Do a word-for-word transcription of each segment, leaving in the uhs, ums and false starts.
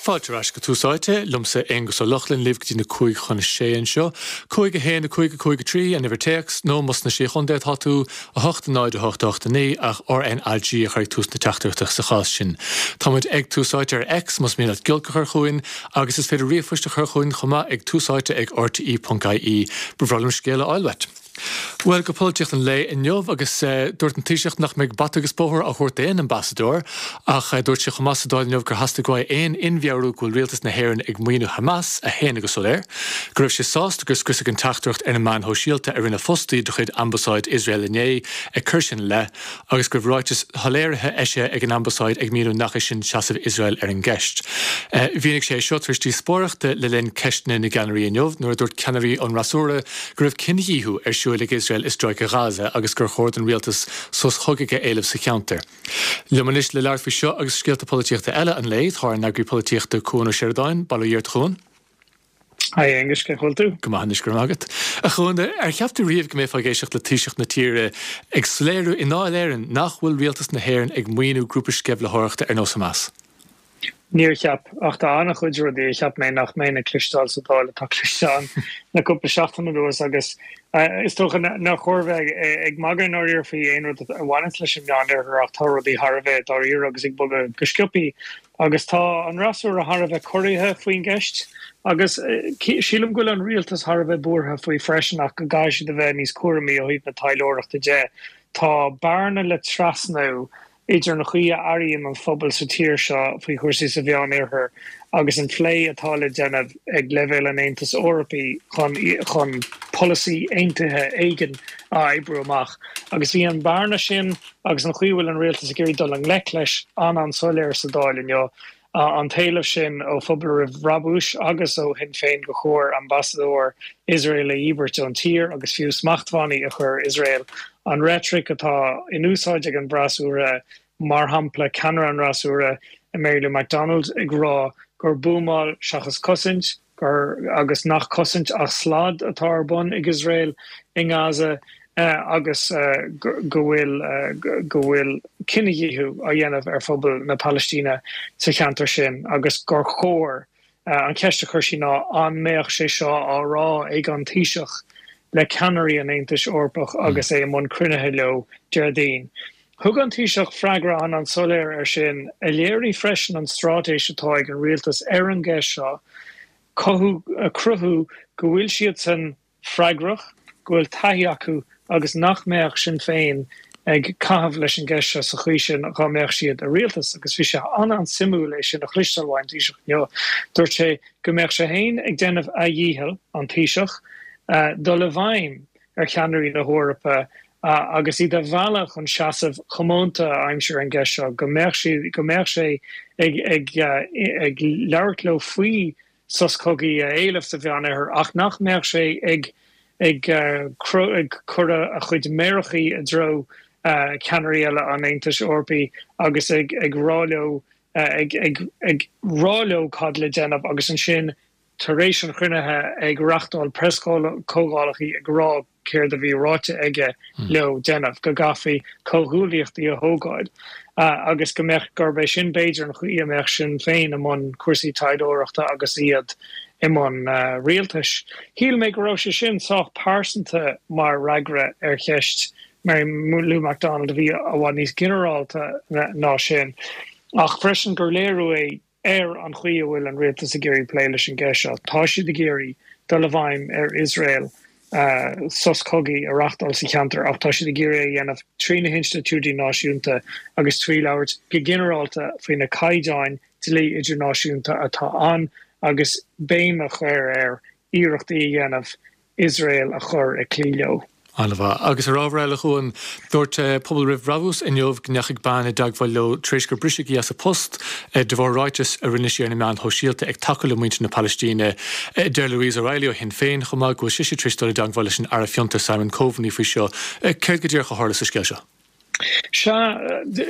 Fáilte ar ais go Tús Áite, liomsa Aonghus Ó Lochlainn libh go dtí na cúig chun a sé anseo. Cúig a haon a cúig a cúig a trí an uimhir téacs nó más sna Sé Chontae atá tú a hocht a náid a hocht a hocht a naoi ach RNAG a chur ag tús na teachtaireachta sa chás sin. Táimid ag Tús Áite ar X más mian leat giolc a chur chugainn agus is féidir ríomhphost a chur chugainn chomh maith ag túsáite ag rte.ie Ba bhreá liom scéal a fháil uait. Well go polaitíocht an lae inniu agus uh, dúirt an Taoiseach nach mbeidh bata agus bóthar á thabhairt d'aon ambasadóir ach uh, dúirt sé chomh maith sa Dáil inniu gur theastaigh uaidh aon inmheabhrú go bhfuil rialtas na hÉireann ag maoiniú Hamas a shéanadh go soiléir, go raibh sé sásta gur scriosadh an teachtaireacht ar na meáin shóisialta a rinne fostaí de chuid ambasáid Iosrael inné ag cur sin le agus go raibh ráiteas soiléirithe eisithe ag an ambasáid ag míniú nach é sin seasamh Iosrael ar an gceist. Uh, Mhínigh sé seo tar éis díospóireachta le linn ceisteanna na gceannairí inniu nuair a dúirt ceannairí an fhreasúra go raibh cinedhíothú ar siúl ag Iosrael i stráice Gaza agus gur chóir don rialtas sos cogaidh a éileamh sa cheantar. Liom anois le labhairt faoi seo agus scéalta polaitíochta eile an lae tá ár n-eagraí polaitíochta Cuan Ó Seireadáin, Bail ó Dhia ort a Chuan? Hi Aonghus cén chaoi a bhfuil tú? Go maith anois go raibh maith agat. A Chuan ar cheap tú riamh go mbeifeá ag éisteacht le Taoiseach na tíre ag soiléiriú i nDáil Éireann nach bhfuil rialtas na hÉireann ag maoiniú grúpa sceimhlitheoireachta ar nós Hamas. Níor cheap ach tá an-chuid rudaí a cheap mé nach mbeinn ag cloisteáil sa Dáil atá cloiste le cúpla seachtain anuas agus is dócha nár chóir bheith ag magadh nó faoi aon rud a bhaineann leis an Meánoirthear ach tá rudaí thar a bheith dáiríre agus ag bogadh go sciobtha agus tá an fhreasúra thar a bheith corraithe faoin gceist agus sílim go bhfuil an rialtas thar a bheith buartha faoi freisin ach go gcaithfidh siad a bheith níos cúramaí ó thaobh na taidhleoireachta de. Tá bearna le trasnú idir an chaoi a airíonn an phobal sa tír seo faoi chúrsaí sa Mheánoirthear agus an plé atá le déanamh ag leibhéal an Aontais Eorpaigh chun chun polasaí aontaithe éigin a oibriú amach. Agus bhí an bhearna sin agus an chaoi a bhfuil an rialtas ag iarraidh dul i ngleic leis an an-soiléir sa Dáil inniu. an t-éileamh sin ó Phobal Roimh Bhrabús agus ó Shinn Féin go chóir ambasadóir Iosrael a dhíbirt ón tír agus fiú smachtbhannaí a chur Iosrael. An reitric atá in úsáid ag an bhfreasúra mar shampla ceannaire an fhreasúra Mary Lou McDonald ag rá gur buamáil seachas cosaint gur agus nach cosaint ach slad atá ar bun ag Iosrael i nGaza uh, agus uh, go bhfuil uh, go bhfuil cinedhíothú á dhéanamh ar phobal na Palaistíne sa cheantar sin agus gur chóir uh, an cheist a chuir sí ná an mbeadh sé seo á rá ag an Taoiseach le ceannairí an Aontais Eorpaigh agus é i mbun cruinnithe leo Déardaoin. Thug an Taoiseach freagra an an-soiléir ar sin a léirigh freisin an straitéis atá ag an rialtas ar an gceist seo cothú cruthú go bhfuil siad san freagrach go bhfuil taithí acu agus nach mbeadh Sinn Féin ag caitheamh leis an gceist seo sa chaoi sin dá mbeadh siad i rialtas agus bhí sé an an-suimiúil é sin a chloisteáil ón Taoiseach inniu. Dúirt sé go mbeadh sé féin ag déanamh a dhícheall an Taoiseach uh, dul i bhfeidhm ar cheannairí na hEorpa uh, agus iad a mhealladh chun seasamh comónta aimsir an gceist seo go mbeadh sé go mbeadh sé ag ag uh, ag labhairt leo faoi sos cogaidh a éileamh sa Mheánoirthear ach nach mbeadh sé ag ag uh, ag cur a chuid méarachaí i dtreo uh, ceannairí eile an Aontais Eorpaigh agus ag ag rá leo uh, ag ag ag rá leo cad le déanamh agus ansin tar éis an chruinnithe ag reáchtáil preaschomhdhálacha ag rá céard a bhí ráite aige mm. leo déanamh go gcaithfí comhghuaillíochtaí a thógáil uh, agus go mbeadh gurb é sin b'fhéidir an chaoi a mbeadh Sinn Féin i mbun cúrsaí taidhleoireachta agus iad i mbun uh, rialtais. Shíl mé go raibh sé sin sách pearsanta mar fhreagra ar cheist Mary Lou McDonald a bhí i bhfad níos ginearálta ná sin. Ach freisin gur léiriú é ar an chaoi a bhfuil an rialtas ag iarraidh plé leis an gceist seo. Tá siad ag iarraidh dul i bhfeidhm ar Iosrael uh, sos cogaidh a reáchtáil sa cheantar ach tá siad ag iarraidh a dhéanamh trí na hinstitiúidí náisiúnta agus trí labhairt go ginearálta faoi na caighdeáin dlí idirnáisiúnta atá ann agus béim a chur ar iarrachtaí a dhéanamh Iosrael a chur ag cloí leo. An-mhaith agus ar ábhar eile chuan dúirt Pobal Roimh Bhrabús inniu go ndeachaigh bean i dteagmháil leo tar éis gur briseadh í as a post de bharr ráiteas a rinne sí ar na meáin shóisialta ag tacú le muintir na Palaistíne. Deir Louise O'Reilly ó Shinn Féin chomh maith go bhfuil sise tar éis dul i dteagmháil leis an Aire Fiontar Simon Coveney faoi seo. Céard go díreach a tharla sa scéal seo. Sea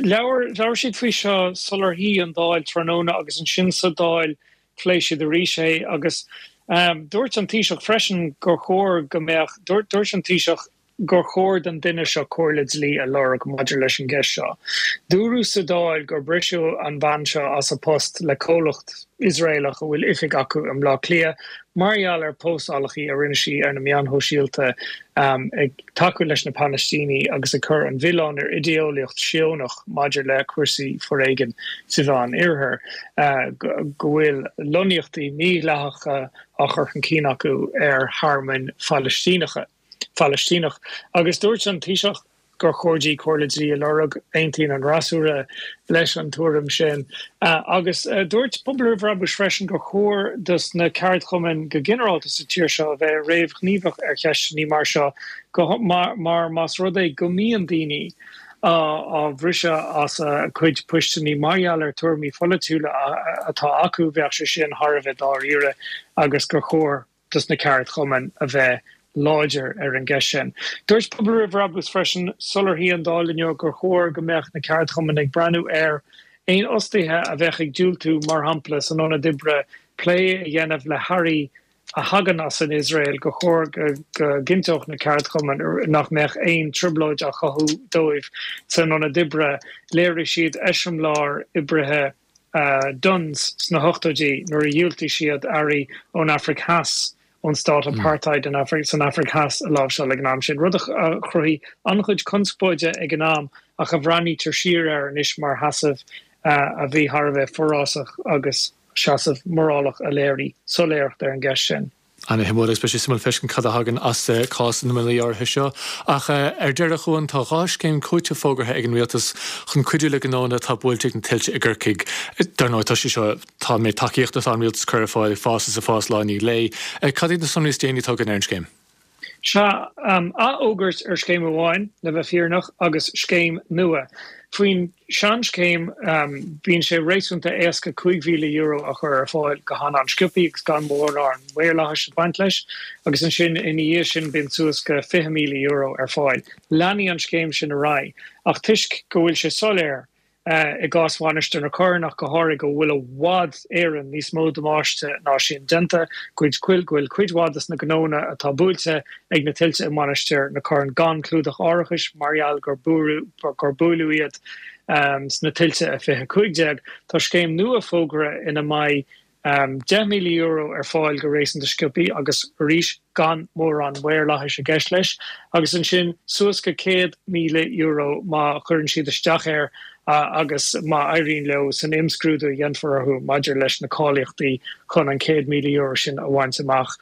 labhair labhair siad faoi seo sular shuigh an Dáil tráthnóna agus ansin sa Dáil phléigh siad arís é agus um, dúirt an Taoiseach freisin gur chóir go mbeadh dúirt an Taoiseach gur chóir don duine seo comhairle dlí a lorg maidir leis an gceist seo. Dúradh sa Dáil gur briseadh an bhean seo as a post le comhlacht Iosraelach a bhfuil oifig acu i mBleá Cliath mar gheall ar phóstálacha a rinne sí ar na meáin shóisialta ag tacú leis na Palaistínigh agus ag cur an mhilleáin ar idéeolaíocht Síónach maidir le cúrsaí foréigin sa Mheán Oirthear, go bhfuil lonnaíochtaí mídhleathacha á chur chun cinn acu ar thearmainn Phalaistíneacha. Phalaistíneach. Agus dúirt an Taoiseach gur chóir di comhairle dlí a lorg, aontaíonn an fhreasúra leis an tuairim sin. Agus dúirt Pobal Roimh Bhrabús freisin gur chóir dos na ceardchumainn go ginearálta sa tír seo a bheith réamhghníomhach ar cheisteanna mar seo go mar más rud é go mbíonn daoine á bhriseadh as a gcuid poisteanna mar gheall ar tuairimí pholaitiúla atá acu, bheadh sé sin thar a bheith dáiríre agus gur chóir dos na ceardchumainn a bheith láidir ar an gceist sin. Dúirt Pobal Roimh Bhrabús freisin sular shuigh an Dáil inniu gur chóir go mbeadh na ceardchumainn ag breathnú ar aon fhostaithe a bheadh ag diúltú, mar shampla san ionad oibre, plé a dhéanamh le hearraí a thagann as an Iosrael, gur chóir go gcinnteodh na ceardchumainn nach mbeadh aon trioblóid á chothú dóibh san ionad oibre. Léirigh siad eiseamláir oibrithe Dunnes sna hochtóidí nuair a dhiúltaigh siad earraí ón Afraic Theas ón stát apartheid san Afraic Theas a láimhseáil ag an am sin, rud a chruthaigh an-chuid conspóide ag an am ach a bhreathnaítear siar air anois mar sheasamh a bhí thar a bheith forásach agus seasamh morálach a léirigh soiléireacht ar an gceist sin. Ana-shuimiúil agus beidh sé suimiúil feiscint cad a thagann as cás na mná áirithe seo. Ach ar deireadh, a Chuain, tá dhá scéim cúitimh fógartha ag an Rialtas chun cuidiú le gnónna atá buailte ag na tuilte i gCorcaigh. Dar ndóigh, tá sé seo, tá an méid tacaíochta atá an Rialtas ag cur ar fáil ag fás is ag fás lá i ndiaidh lae. Cad iad na sonraí is déanaí atá againn ar an scéim? Sea, athfhógairt ar scéim amháin, le bheith fírinneach, agus scéim nua. Faoin seanscéim, bíonn sé réasúnta éasca cúig mhíle euro a chur ar fáil go han-an-sciobtha agus gan mórán maorlathais ag baint leis, agus ansin ina dhiaidh sin bíonn suas go fiche míle euro ar fáil. Leanfaidh an scéim sin ar aghaidh, ach toisc go bhfuil sé soiléir, i gcás Mhainistir na Corann ach go háirithe, go bhfuil i bhfad Éireann níos mó damáiste ná sin déanta, go bhfuil cuid mhaith de na gnónna atá buailte ag na tuilte i Mainistir na Corann gan clúdach árachais mar gheall gur buaileadh iad sna tuilte i fiche cúig déag. Tá scéim nua fógartha ina mbeidh deich míle euro ar fáil go réasúnta sciobtha agus arís gan mórán maorlathais i gceist leis, agus ansin suas go céad míle euro má chuireann siad isteach air agus má éiríonn leo san imscrúdú a dhéanfar orthu maidir leis na cáilíochtaí chun an céad míle euro sin a bhaint amach.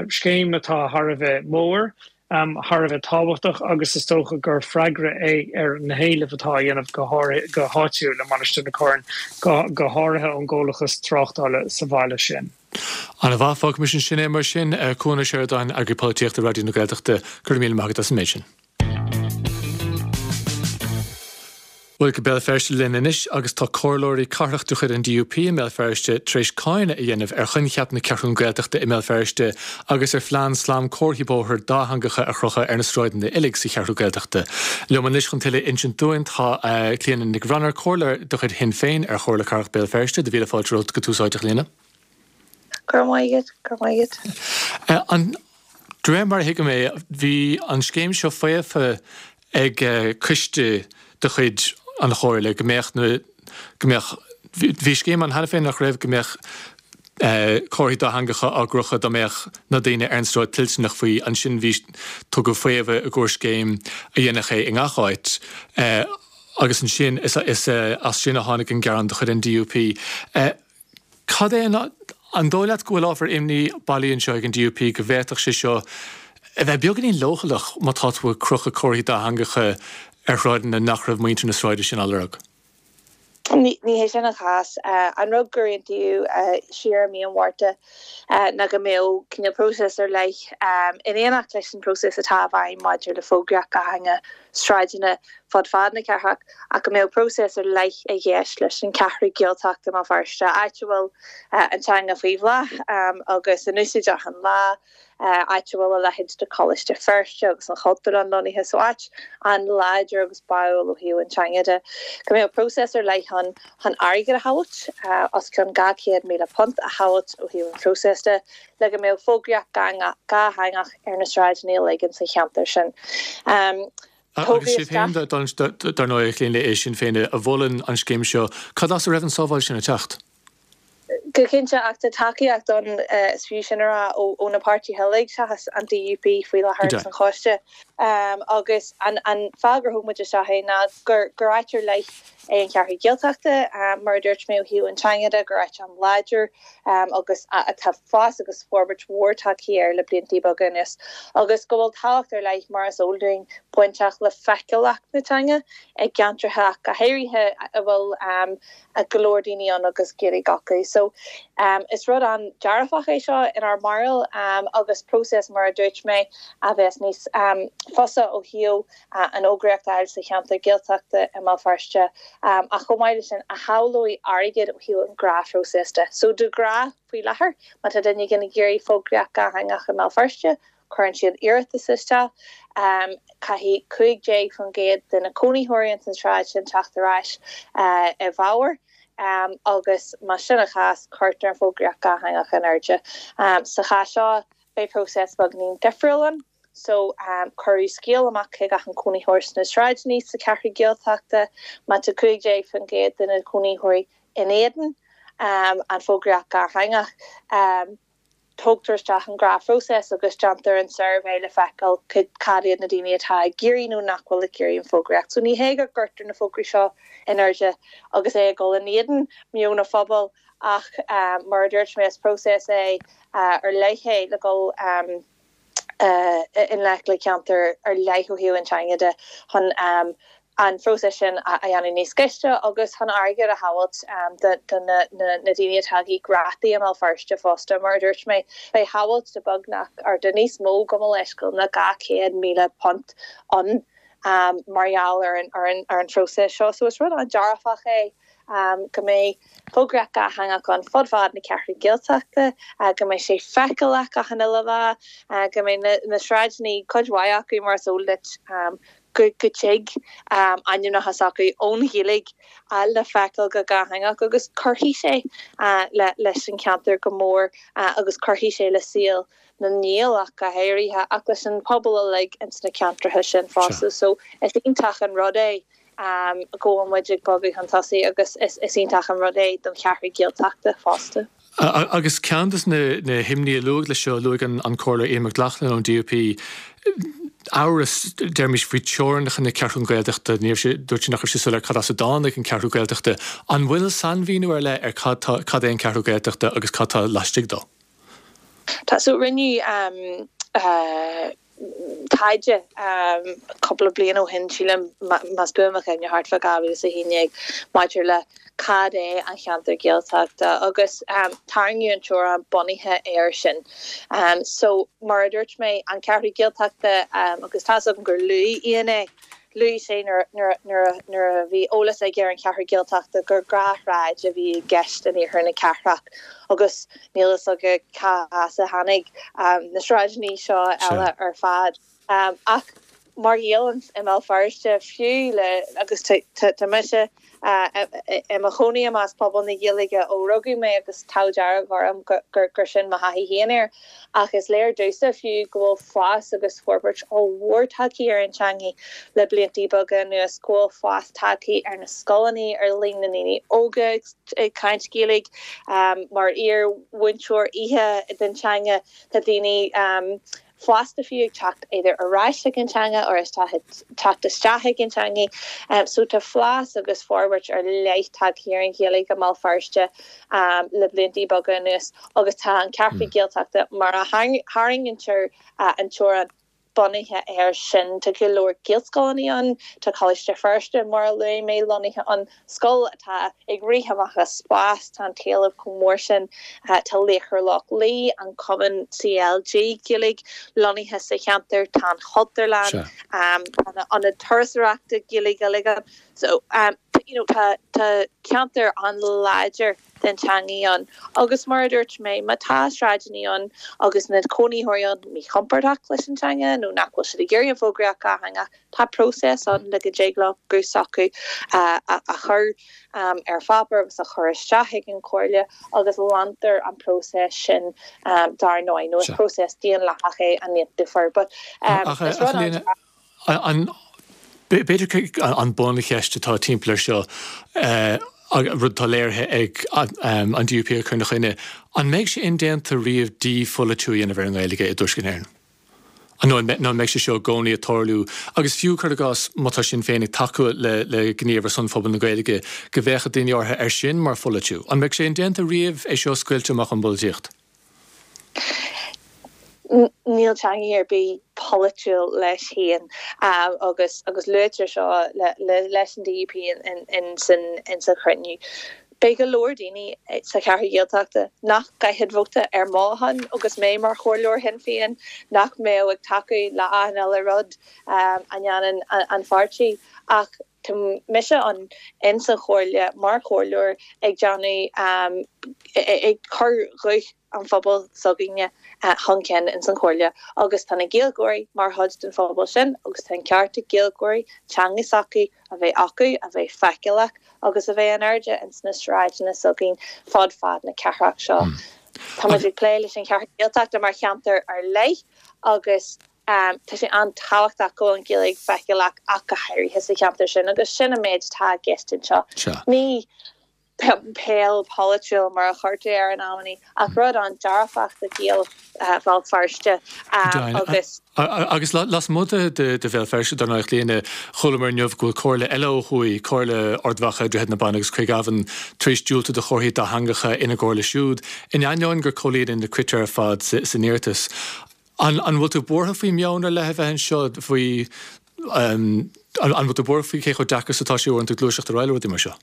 Scéim atá thar a bheith mór. thar a bheith tábhachtach agus is dócha gur freagra é ar na héilimh atá á dhéanamh go go háitiúil i Mainistir na Corann, go háirithe ón gcomhlachas tráchtála sa bhaile sin. Ana-mhaith, fágfaimis ansin é mar sin. Cuan Ó Seireadáin, Eagraí Polaitíochta Raidió na Gaeltachta, go raibh míle maith agat as an méid sin. Bhuel, go Béal Feirste linn anois agus tá comhairleoirí cathrach de chuid an D U P i mBéal Feirste tar éis cáineadh a dhéanamh ar choincheap na Ceathrún Gaeltachta i mBéal Feirste agus ar phlean slam comharthaí bóthair dátheangacha a chrochadh ar na sráideanna uilig sa Cheathrú Gaeltachta. Liom anois chun tuilleadh a insint dúinn tá Clíona Nic Bhranair, comhairleoir de chuid Shinn Féin ar Chomhairle Cathrach Béal Feirste. Do mhíle fáilte romhat go Tús Áite, a Chlíona. Go raibh maith agat, go raibh maith agat. An, de réir mar a thuigim é, bhí an scéim seo faofa ag coiste de chuid an Chomhairle go mbeadh na, go mbeadh, bhí scéim ann cheana féin nach raibh, go mbeadh comharthaí dátheangacha á gcrochadh dá mbeadh na daoine ar an sráid toilteanach faoi. Ansin bhí, tugadh faomhadh i gcomhair scéim a dhéanfadh é i ngach áit agus ansin is as sin a tháinig an gearán de chuid an D U P. Cad é an, an dóigh leat go bhfuil ábhar imní bailí anseo ag an D U P go bhféadfadh sé seo a bheith beagáinín leochaileach má tá tú ag crochadh comharthaí dátheangacha ar shráideanna nach raibh muintir na sráide sin á lorg? Ní hé sin an cás. An rud gur aontaíodh siar i mí an Mhárta ná go mbeadh cineál próiseas ar leith in éineacht leis an bpróiseas atá i bhfeidhm maidir le fógraíocht dhátheangach sráideanna fud fad na cathrach ach go mbeadh próiseas ar leith i gceist leis an Cheathrú Gaeltachta i mBéal Feirste, áit a bhfuil an teanga faoi bhláth agus in úsáid achan lá, áit a bhfuil a leithéid de Choláiste Feirste agus an Chultúrlann lonnaithe, so áit an-láidir agus báúil ó thaobh an teanga de. Go mbeadh próiseas ar leith ann chun airgead a thabhairt, os cionn dhá chéad míle punt a thabhairt ó thaobh an phróiseas de, le go mbeadh fógraíocht dhátheangach ar na sráideanna uilig insa cheantar sin. Agus sibh féin, dar ndóigh, a Chlíona, é Sinn Féin a mholann an scéim seo, cad as a raibh an sábháil sin ag teacht? Go cinnte, ach tá tacaíocht ann, is fiú sin a rá, ó na páirtithe uilig seachas an DUP faoi láthair ins an choiste. Agus an fáth gur thóg muid isteach é ná gur áit ar leith é an Cheathrú Gaeltachta, mar a dúirt mé ó thaobh an teanga de, gur áit an-láidir agus atá fás agus forbairt mhór tagtha air le blianta beaga anuas, agus go bhfuil tábhacht ar leith, mar is eol dúinn, bainteach le feiceálacht na teanga i gceantracha ach go háirithe a bhfuil go leor daoine ann agus Gaeilge acu. So is rud an-dearfach é seo inár mbarúil agus próiseas, mar a dúirt mé, a bheas níos fusa ó thaobh an fhógraíocht a fháil sa cheantar Gaeltachta i mBéal Feirste ach chomh maith leis sin a shábhálfaidh airgead ó thaobh an ghnáthphróiseas de. So de ghnáth faoi láthair má tá duine éigin ag iarraidh fógraíocht dhátheangach i mBéal Feirste, cuireann siad iarratas isteach, caithfidh cúig déag faoin gcéad de na cónaitheoirí ins an tsráid sin teacht ar ais i bhfabhar agus más sin an chás cuirtear an fógraíocht dhátheangach in airde. Sa chás seo beidh próiseas beagáinín difriúil ann. So cuireadh scéal amach chuig achan cónaitheoir sna sráideanna sa Cheathrú Gaeltachta, má tá cúig déag faoin gcéad de na cónaitheoirí in éadan an fógraíocht dhátheangach, tógtar isteach an gnáthphróiseas agus déantar an suirbhé le feiceáil cad iad na daoine atá ag iarraidh nó nach bhfuil ag iarraidh an fógraíocht. So ní hé go gcuirtear na fógraí seo in airde agus é ag dul in éadan meon an phobail ach mar a dúirt mé is próiseas é ar leith é le dul i ngleic le ceantar ar leith ó thaobh an teanga de chun an phróiseas sin a dhéanamh níos gaiste agus chun airgead a shábháilt do na daoine atá ag íoc rátaí i mBéal Feirste fosta. Mar a dúirt mé, beidh sábháilt de beagnach, or de níos mó gabh mo leithscéal ná dhá chéad míle punt ann mar gheall ar an ar an phróiseas seo. So is rud an-dearfach é go mbeidh fógraíocht dhátheangach ann fud fad na Ceathrú Gaeltachta, go mbeidh sé feiceálach achan uile lá, go mbeidh na sráideanna, cuid mhaith acu mar is eol duit, go dtig ainmneacha s'acu ón Ghaeilge le feiceáil go dátheangach agus cuirfidh sé leis an cheantar go mór agus cuirfidh sé le saol na nGael ach go háirithe ach leis an pobal uilig ins na ceantracha sin fosta. So is iontach an rud é go bhfuil muid ag bogadh chun tosaigh agus is iontach an rud é don Cheathrú Gaeltachta fosta. Agus ceann de na himní a luadh leis seo, luaigh an Comhairleoir Ian McLaughlin ón DUP, amhras, deirimis, faoi teorainneacha na Ceathrún Gaeltachta, ní raibh sé, dúirt sé nach raibh sé soiléir cad as a dtáinig an Cheathrú Gaeltachta. An bhfuil sainmhíniú ar leith ar cad tá, cad é an Cheathrú Gaeltachta agus cad tá laistigh dó? Tá, so rinneadh taighde cúpla bliain ó shin, sílim, más buan mo chuimhne, thart fá dhá mhíle is a haon déag, maidir le cad é an cheantar Gaeltachta agus tarraingíodh an teorainn bunaithe air sin. So, mar a dúirt mé, an Cheathrú Gaeltachta, agus tá's agam gur luaigh Ian é, luaigh sé nuair a bhí eolas aige ar an Cheathrú Gaeltachta gur dhá shráid a bhí i gceist in iarthar na cathrach agus níl fhios aige cá as a tháinig na sráideanna seo eile ar fad. Ach mar Ghael i mBéal Feirste, fiú le, agus tá mise i mo chónaí i measc pobal na Gaeilge ó rugadh mé agus an t-ádh dearg orm gur sin mo thaithí féin air, ach is léir domhsa fiú go bhfuil fás agus forbairt ollmhór tagtha ar an teanga le blianta beaga anuas, go bhfuil fás tagtha ar na scoileanna, ar líon na ndaoine óga ag caint Gaeilge. Mar iar-mhúinteoir oíche den teanga, tá daoine fásta fiú ag teacht either ar ais ag an teanga or ag teacht isteach ag an teanga. So tá fás agus forbairt ar leith tagtha ar an Ghaeilge i mBéal Feirste le blianta beaga anuas agus tá an Ceathrú Gaeltachta mar a tharraingítear an teorainn bunaithe air sin tá go leor Gaelscoileanna ann tá Coláiste Feirste mar a luaigh mé lonnaithe ann scoil atá ag rith amach as spás tá an t-éileamh chomh mór sin tá Laochra Loch Lao an cumann CLG Gaeilge lonnaithe sa cheantar tá an Chultúrlann um, ionad turasóireachta Gaeilge uilig so um, you know, tá tá ceantar an-láidir den teangaidh ann agus mar a dúirt mé má tá sráideanna ann agus na cónaitheoirí ann míchompordach leis an teanga nó nach bhfuil siad ag iarraidh an fógraíocht dhátheangach tá próiseas ann le go dtig leo guth s'acu a, a, a chur um, ar pháipéar agus a chur isteach ag an chomhairle agus leantar an próiseas sin um, dar ndóigh nó is próiseas daonlathach é an difear but um, is rud an B'fhéidir an buncheist atá timpeall air seo rud atá léirithe ag an DUP a chur ina choinne, an mbeidh sé indéanta riamh dípholaitiú a dhéanamh ar an nGaeilge i dTuaisceart na hÉireann? Nó an mbeidh sé seo i gcónaí ag tarlú agus fiú cuir i gcás má tá Sinn Féin ag tacú le le gníomh ar son phobal na Gaeilge go bhféachfadh daoine orthu air sin mar pholaitiú. An mbeidh sé indéanta riamh é seo a scoilteadh amach ón bpolaitíocht? Níl teanga ar bith polaitiúil leis féin um, agus agus luaitear seo le, le, leis an DUP in, in, in, san, in sa chruinniú. Beidh go leor daoine sa cheathrú Ghaeltachta nach gcaithfeadh vóta ar mo shon agus mé mar chomhairleoir Shinn Féin nach mbeadh ag tacú le achan uile rud um, a dhéanann an, an pháirtí ach tá mise an in sa chomhairle mar chomhairleoir ag déanamh um, ag cur ghuth an phobal s'againne chun cinn in san chomhairle agus tá na Gaeilgeoirí mar chuid den phobal sin agus tá an ceart ag Gaeilgeoirí teanga s'acu a bheith acu a bheith feiceálach agus a bheith in airde in sna sráideanna s'againn fud fad na cathrach seo. Mm. Tá ag plé leis an cheathrú Ghaeltachta mar cheantar ar leith agus um, tá sé an-tábhachtach go an Ghaeilge feiceálach ach go háirithe sa cheantar sin agus sin an méid atá i gceist anseo. Ní peil polaitiúil mar a chuirtear air in amannaí ach rud an-dearfach do Ghaeil Bhéal Feirste agus Agus lasmuigh de de Bhéal Feirste dar ndóigh Clíona chualamar inniu go bhfuil comhairle eile ó thuaidh, Comhairle Ard Mhacha, Droichead na Banna agus Craig Abhann tar éis diúltú do chomharthaí dátheangacha ina gcomhairle siúd, in ainneoin gur comhlíonadh na critéir ar fad san iarratas. An an bhfuil tú buartha faoi meon ar leith a bheith anseo faoi an bhfuil tú buartha faoi cé chomh deacair is atá sé uaireanta gluaiseacht ar aghaidh le rudaí mar seo?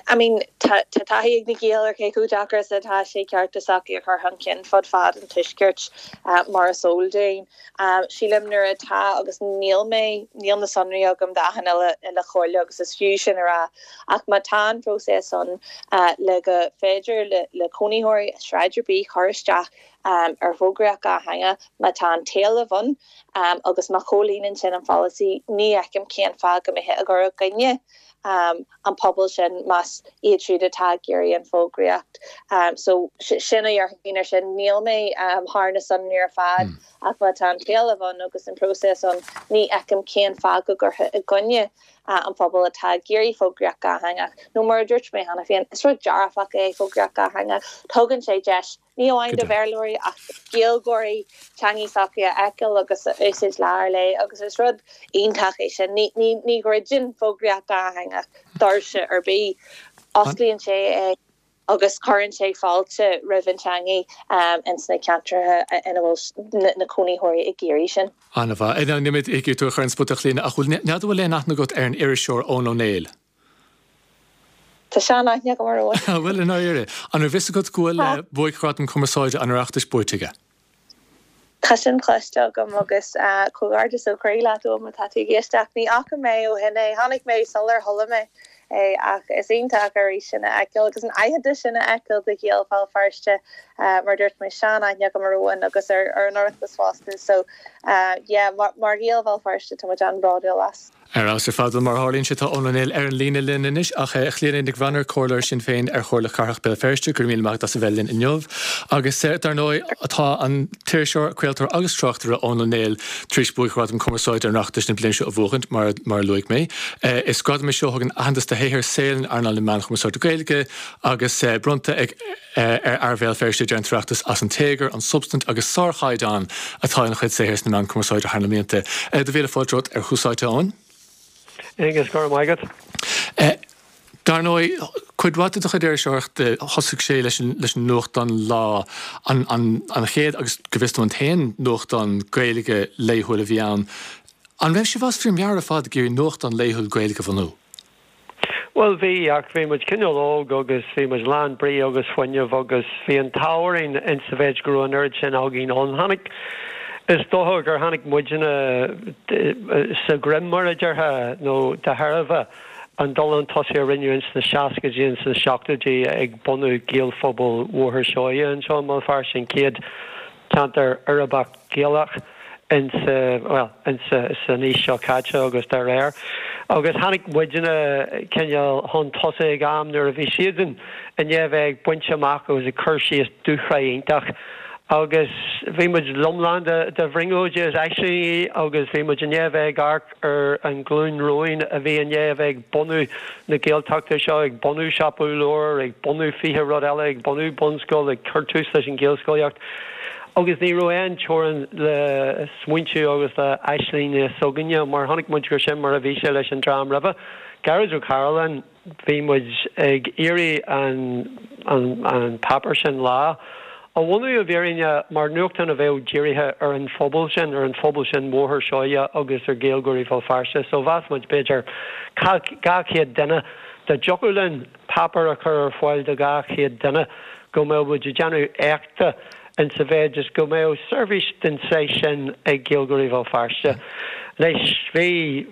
I mean tá taithí ag na Gaeil ar cé chomh deacair is atá sé cearta s'acu a chur chun cinn fud fad an tuaiscirt mar is eol dúinn. Sílim nuair atá agus níl mé níl na sonraí agam d'achan uile uile chomhairle agus is fiú sin a rá ach má tá an próiseas ann le go féidir le le cónaitheoirí sráid ar bith chur isteach um, ar fógraíocht dhátheangach má tá an t-éileamh ann um, agus má chomhlíonann sin an pholasaí ní fheicim cén fáth go mbeifeá ag cur i gcoinne um, an pobal sin más iad siúd atá ag iarraidh an fógraíocht. Um, so sin a dhéarfainn ar sin níl mé um, thar na sonraí ar fad mm. ach má tá an t-éileamh ann agus an próiseas ann ní fheicim cén fáth go gcuirfeá i gcoinne uh, an pobal atá ag iarraidh fógraíocht dhátheangach. Nó mar a dúirt mé cheana féin is rud dearfach é fógraíocht dhátheangach tugann sé deis ní amháin do Bhéarlóirí ach Gaeilgeoirí teanga s'acu a fheiceáil agus a úsáid lá ar lá agus is rud iontach é sin ní ní ní dhruideann fógraíocht dhátheangach doirse ar bith osclaíonn sé é agus cuireann sé fáilte roimh an teanga um, in sna ceantracha ina bhfuil na cónaitheoirí ag iarraidh sin. An-mhaith. Níl mé ag tú a chur ar an spota a Chlíona ach bhfuil n'fheadar bhfuil aon aithne agat ar an iriseoir Eoin Ó Néill. Tá sean-aithne agam ar Eoin. Bhfuil in áire. An raibh fhios agat go bhfuil buaicghradam cumarsáide an Oireachtais buaite aige. Tá sin cloiste agam agus comhghairdeas ó chroí leat má tá tú ag éisteacht ní fhaca mé ó shin é tháinig mé sular chuala mé é ach is iontach arís sin a fheiceáil agus an aitheantas sin a fheiceáil do Ghaeil Bhéal Feirste mar dúirt mé sean-aithne agam ar Eoin agus ar ar an Oireachtas fosta so uh, yeah, mar, mar Ghaeil Bhéal Feirste tá muid an-bhródúil as. Ar fheabhas ar fad mar tharlaíonn sé tá Eoin Ó Néill ar an líne linn anois ach a Chlíona Nic Bhranar comhairleoir Sinn Féin ar Chomhairle Cathrach Béal Feirste go raibh míle maith as a bheith linn inniu. Agus dar ndóigh atá an t-iriseoir craoltóir agus tráchtaire Eoin Ó Néill tar éis buaicghradam cumarsáide an Oireachtais na bliana seo a bhuachaint mar mar a luaigh mé. Is gradam é seo a thugann aitheantas do shaothar saoil in earnáil na meán chumarsáide Gaeilge agus bronnta ag ar Bhéal Feirste deir an tOireachtas as an téagar, an substaint agus sárchaighdeán atá ina chuid saothair sna meáin chumarsáide thar na blianta. Do mhíle fáilte romhat ar Tús Áite Eoin? Agus go raibh maith agat. Dar ndóigh Cuid mhaith de do chuid iriseoireachta, thosaigh sé leis an leis an nuachtán Lá, an an an chéad agus go bhfios dom an t-aon nuachtán Gaeilge laethúil a bhí ann. An raibh sibh as bhur meabhair ar fad ag iarraidh nuachtán laethúil Gaeilge a bhunú? Bhuel, bhí, ach bhí muid cineál óg agus bhí muid lán brí agus fuinnimh agus bhí an t-ádh orainn in sa mhéid go raibh an oiread sin againn ann. Tháinig, is dócha gur tháinig muidne sa ghreim mar a déarfá, nó de thairbhe an dul chun tosaigh a rinneadh ins na seascaidí ins na seachtóidí ag bunú Gaelphobal Bhóthar Seoighe anseo i mBéal Feirste, an chéad ceantar uirbeach Gaelach in sa, bhuel, in sa, san aois seo caite agus dá réir. Agus tháinig muidne cineál chun tosaigh ag am nuair a bhí siadsan i ndiaidh a bheith ag baint amach agus ag cur síos dúshraith iontach agus bhí muid lomlán de, de bhrionglóidí is aislingí agus bhí muid i ndiaidh a bheith ag amharc ar an ghlúin romhainn a bhí i ndiaidh a bheith ag bunú na Gaeltachta seo, ag bunú siopa leabhar, ag bunú fiche rud eile, ag bunú bunscoil, ag cur tús leis an Ghaelscolaíocht. Agus ní raibh aon teorainn le smaointiú agus le aislinge s'againne, mar chonaic muid gur sin mar a bhí sé leis an dream roimhe. Gearóid Ó Cairealláin, bhí muid ag iarraidh an an an páipéar sin Lá a bhunú i bhfírinne mar nuachtán a bheadh dírithe ar an phobal sin, ar an phobal sin Bhóthar Seoighe agus ar Ghaeilgeoirí Bhéal Feirste. So mheas muid b'fhéidir dhá chéad duine, dá dtiocfadh linn páipéar a chur ar fáil do dhá chéad duine go mbeadh muid ag déanamh éachta in sa mhéid is go mbeadh seirbhís den saghas sin ag Gaeilgeoirí Bhéal Feirste. Anois, bhí,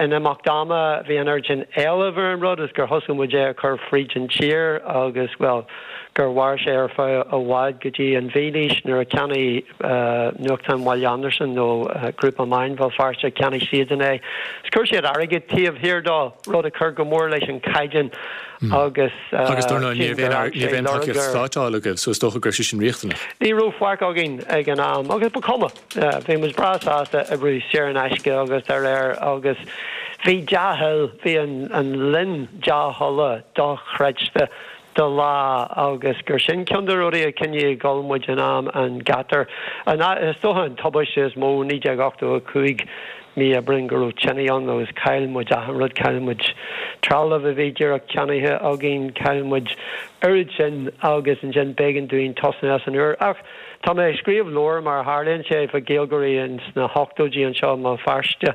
in imeacht ama, bhí an oiread sin éilimh ar an rud is gur thosaigh muid é a chur fríd an tír agus, bhuel, gur mhair sé ar feadh i bhfad go dtí an mhílaois nuair a cheannaigh Nuachtán Bhaile Andarsan nó Grúpa Meáin Bhéal Feirste, cheannaigh siadsan é is chuir siad airgead taobh thiar dó, rud a chuir go mór leis an chaighdeán agus. Agus dar ndóigh ní raibh aon ní raibh aon tacaíocht stáit á fháil agaibh so is dócha go raibh sé sin riachtanach. Ní raibh faic againn ag an am agus ba chuma. Bhí muid breá sásta oibriú saor in aisce agus dá réir agus bhí dea-thoil, bhí an an linn dea-thola dochreidte do Lá agus gur sin ceann de rudaí a choinnigh ag dul muid in am an ghátair. Is dócha an tubaiste is mó, naoi déag ochtó a cúig, mí Aibreáin go raibh tine ann agus chaill muid achan rud, chaill muid trealamh a bhí díreach ceannaithe againn, chaill muid oiread sin agus ansin b'éigean dúinn tosnú as an úr. Ach tá mé ag scríobh leabhair mar a tharlaíonn sé fá Ghaeilgeoirí ins na hochtóidí anseo i mBéal Feirste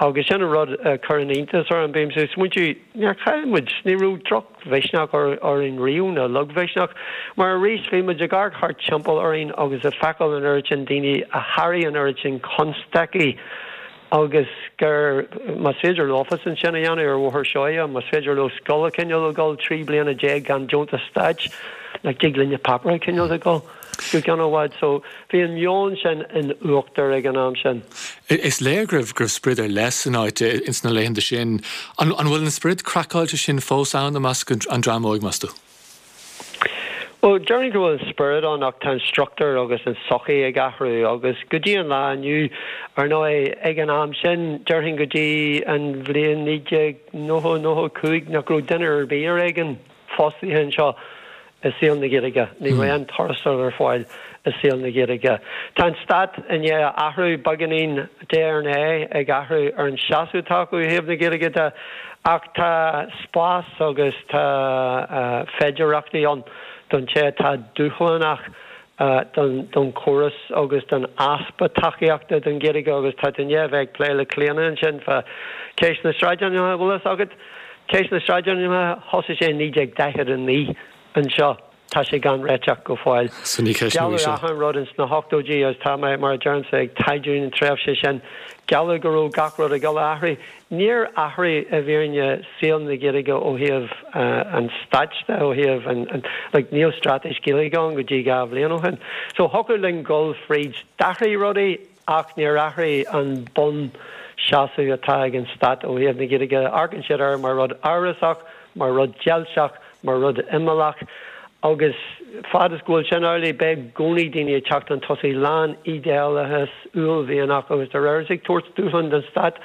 agus sin an rud a chuireann iontas orm, bímse ag smaointiú níor chaill muid, ní raibh droch mhisneach orainn riamh, nó lagmhisneach, mar arís bhí muid ag amharc thart timpeall orainn agus ag feiceáil an oiread sin daoine a sháraigh an oiread sin constaicí agus gur, más féidir leofasan sin a dhéanamh ar Bhóthar Seoighe, más féidir leo scoil a choinneáil ag dul trí bliana déag gan deontas stáit, nach dtig linne páipéar a choinneáil ag dul go ceann i bhfad. So, bhí an meon sin in uachtar ag an am sin. Is léir go raibh go raibh sprid ar leith san áit ins na laethanta sin. An an bhfuil an sprid craiceáilte sin fós ann i measc an dream óig, meas tú? Bhuel, déarfainn go bhfuil an spiorad ann ach tá an struchtúr agus an tsochaí ag athrú agus go dtí an lá inniu, ar ndóigh, ag an am sin, déarfainn go dtí an bhliain naoi déag nócha, nócha cúig, nach raibh duine ar bith ar éigean fostaithe anseo i saol na Gaeilge. Ní raibh aon tuarastal ar fáil i saol na Gaeilge. Tá an stát i ndiaidh athrú beagáinín, diaidh ar ndiaidh, ag athrú ar an seasamh atá acu ó thaobh na Gaeilge de ach tá spás agus tá féidearthachtaí ann don té atá dúshlánach don chóras agus don easpa tacaíochta don Ghaeilge agus tá tú i ndiaidh a bheith ag plé le Clíona ansin fá cheist na sráidainmneacha, bhfuil fhios agat? Ceist na sráidainmneacha, thosaigh sé i naoi déag daichead a naoi anseo, tá sé gan réiteach go fóill. So ní ceist nua í Gealladh seo. achan rud ins na hochtóidí agus tá mé, mar a deirimse, ag taighdiú na tréimhse sin, gealladh go raibh gach rud ag dul a athrú. Níor athraigh i bhfírinne saol na Gaeilge ó thaobh an stáit de, ó thaobh an, like níl straitéis Gaeilge ann go dtí dhá bhliain ó shin. So thiocfadh linn dul fríd, d'athraigh rudaí ach níor athraigh an bun seasamh atá ag an stát ó thaobh na Gaeilge. Amharcann siad air mar rud amhrasach, mar rud deilseach, mar rud imeallach agus fad is go bhfuil sin amhlaidh beidh i gcónaí daoine ag teacht chun tosaigh lán ídéalachas, uaillmhianach agus dá réir is ag tabhairt dúshlán don stát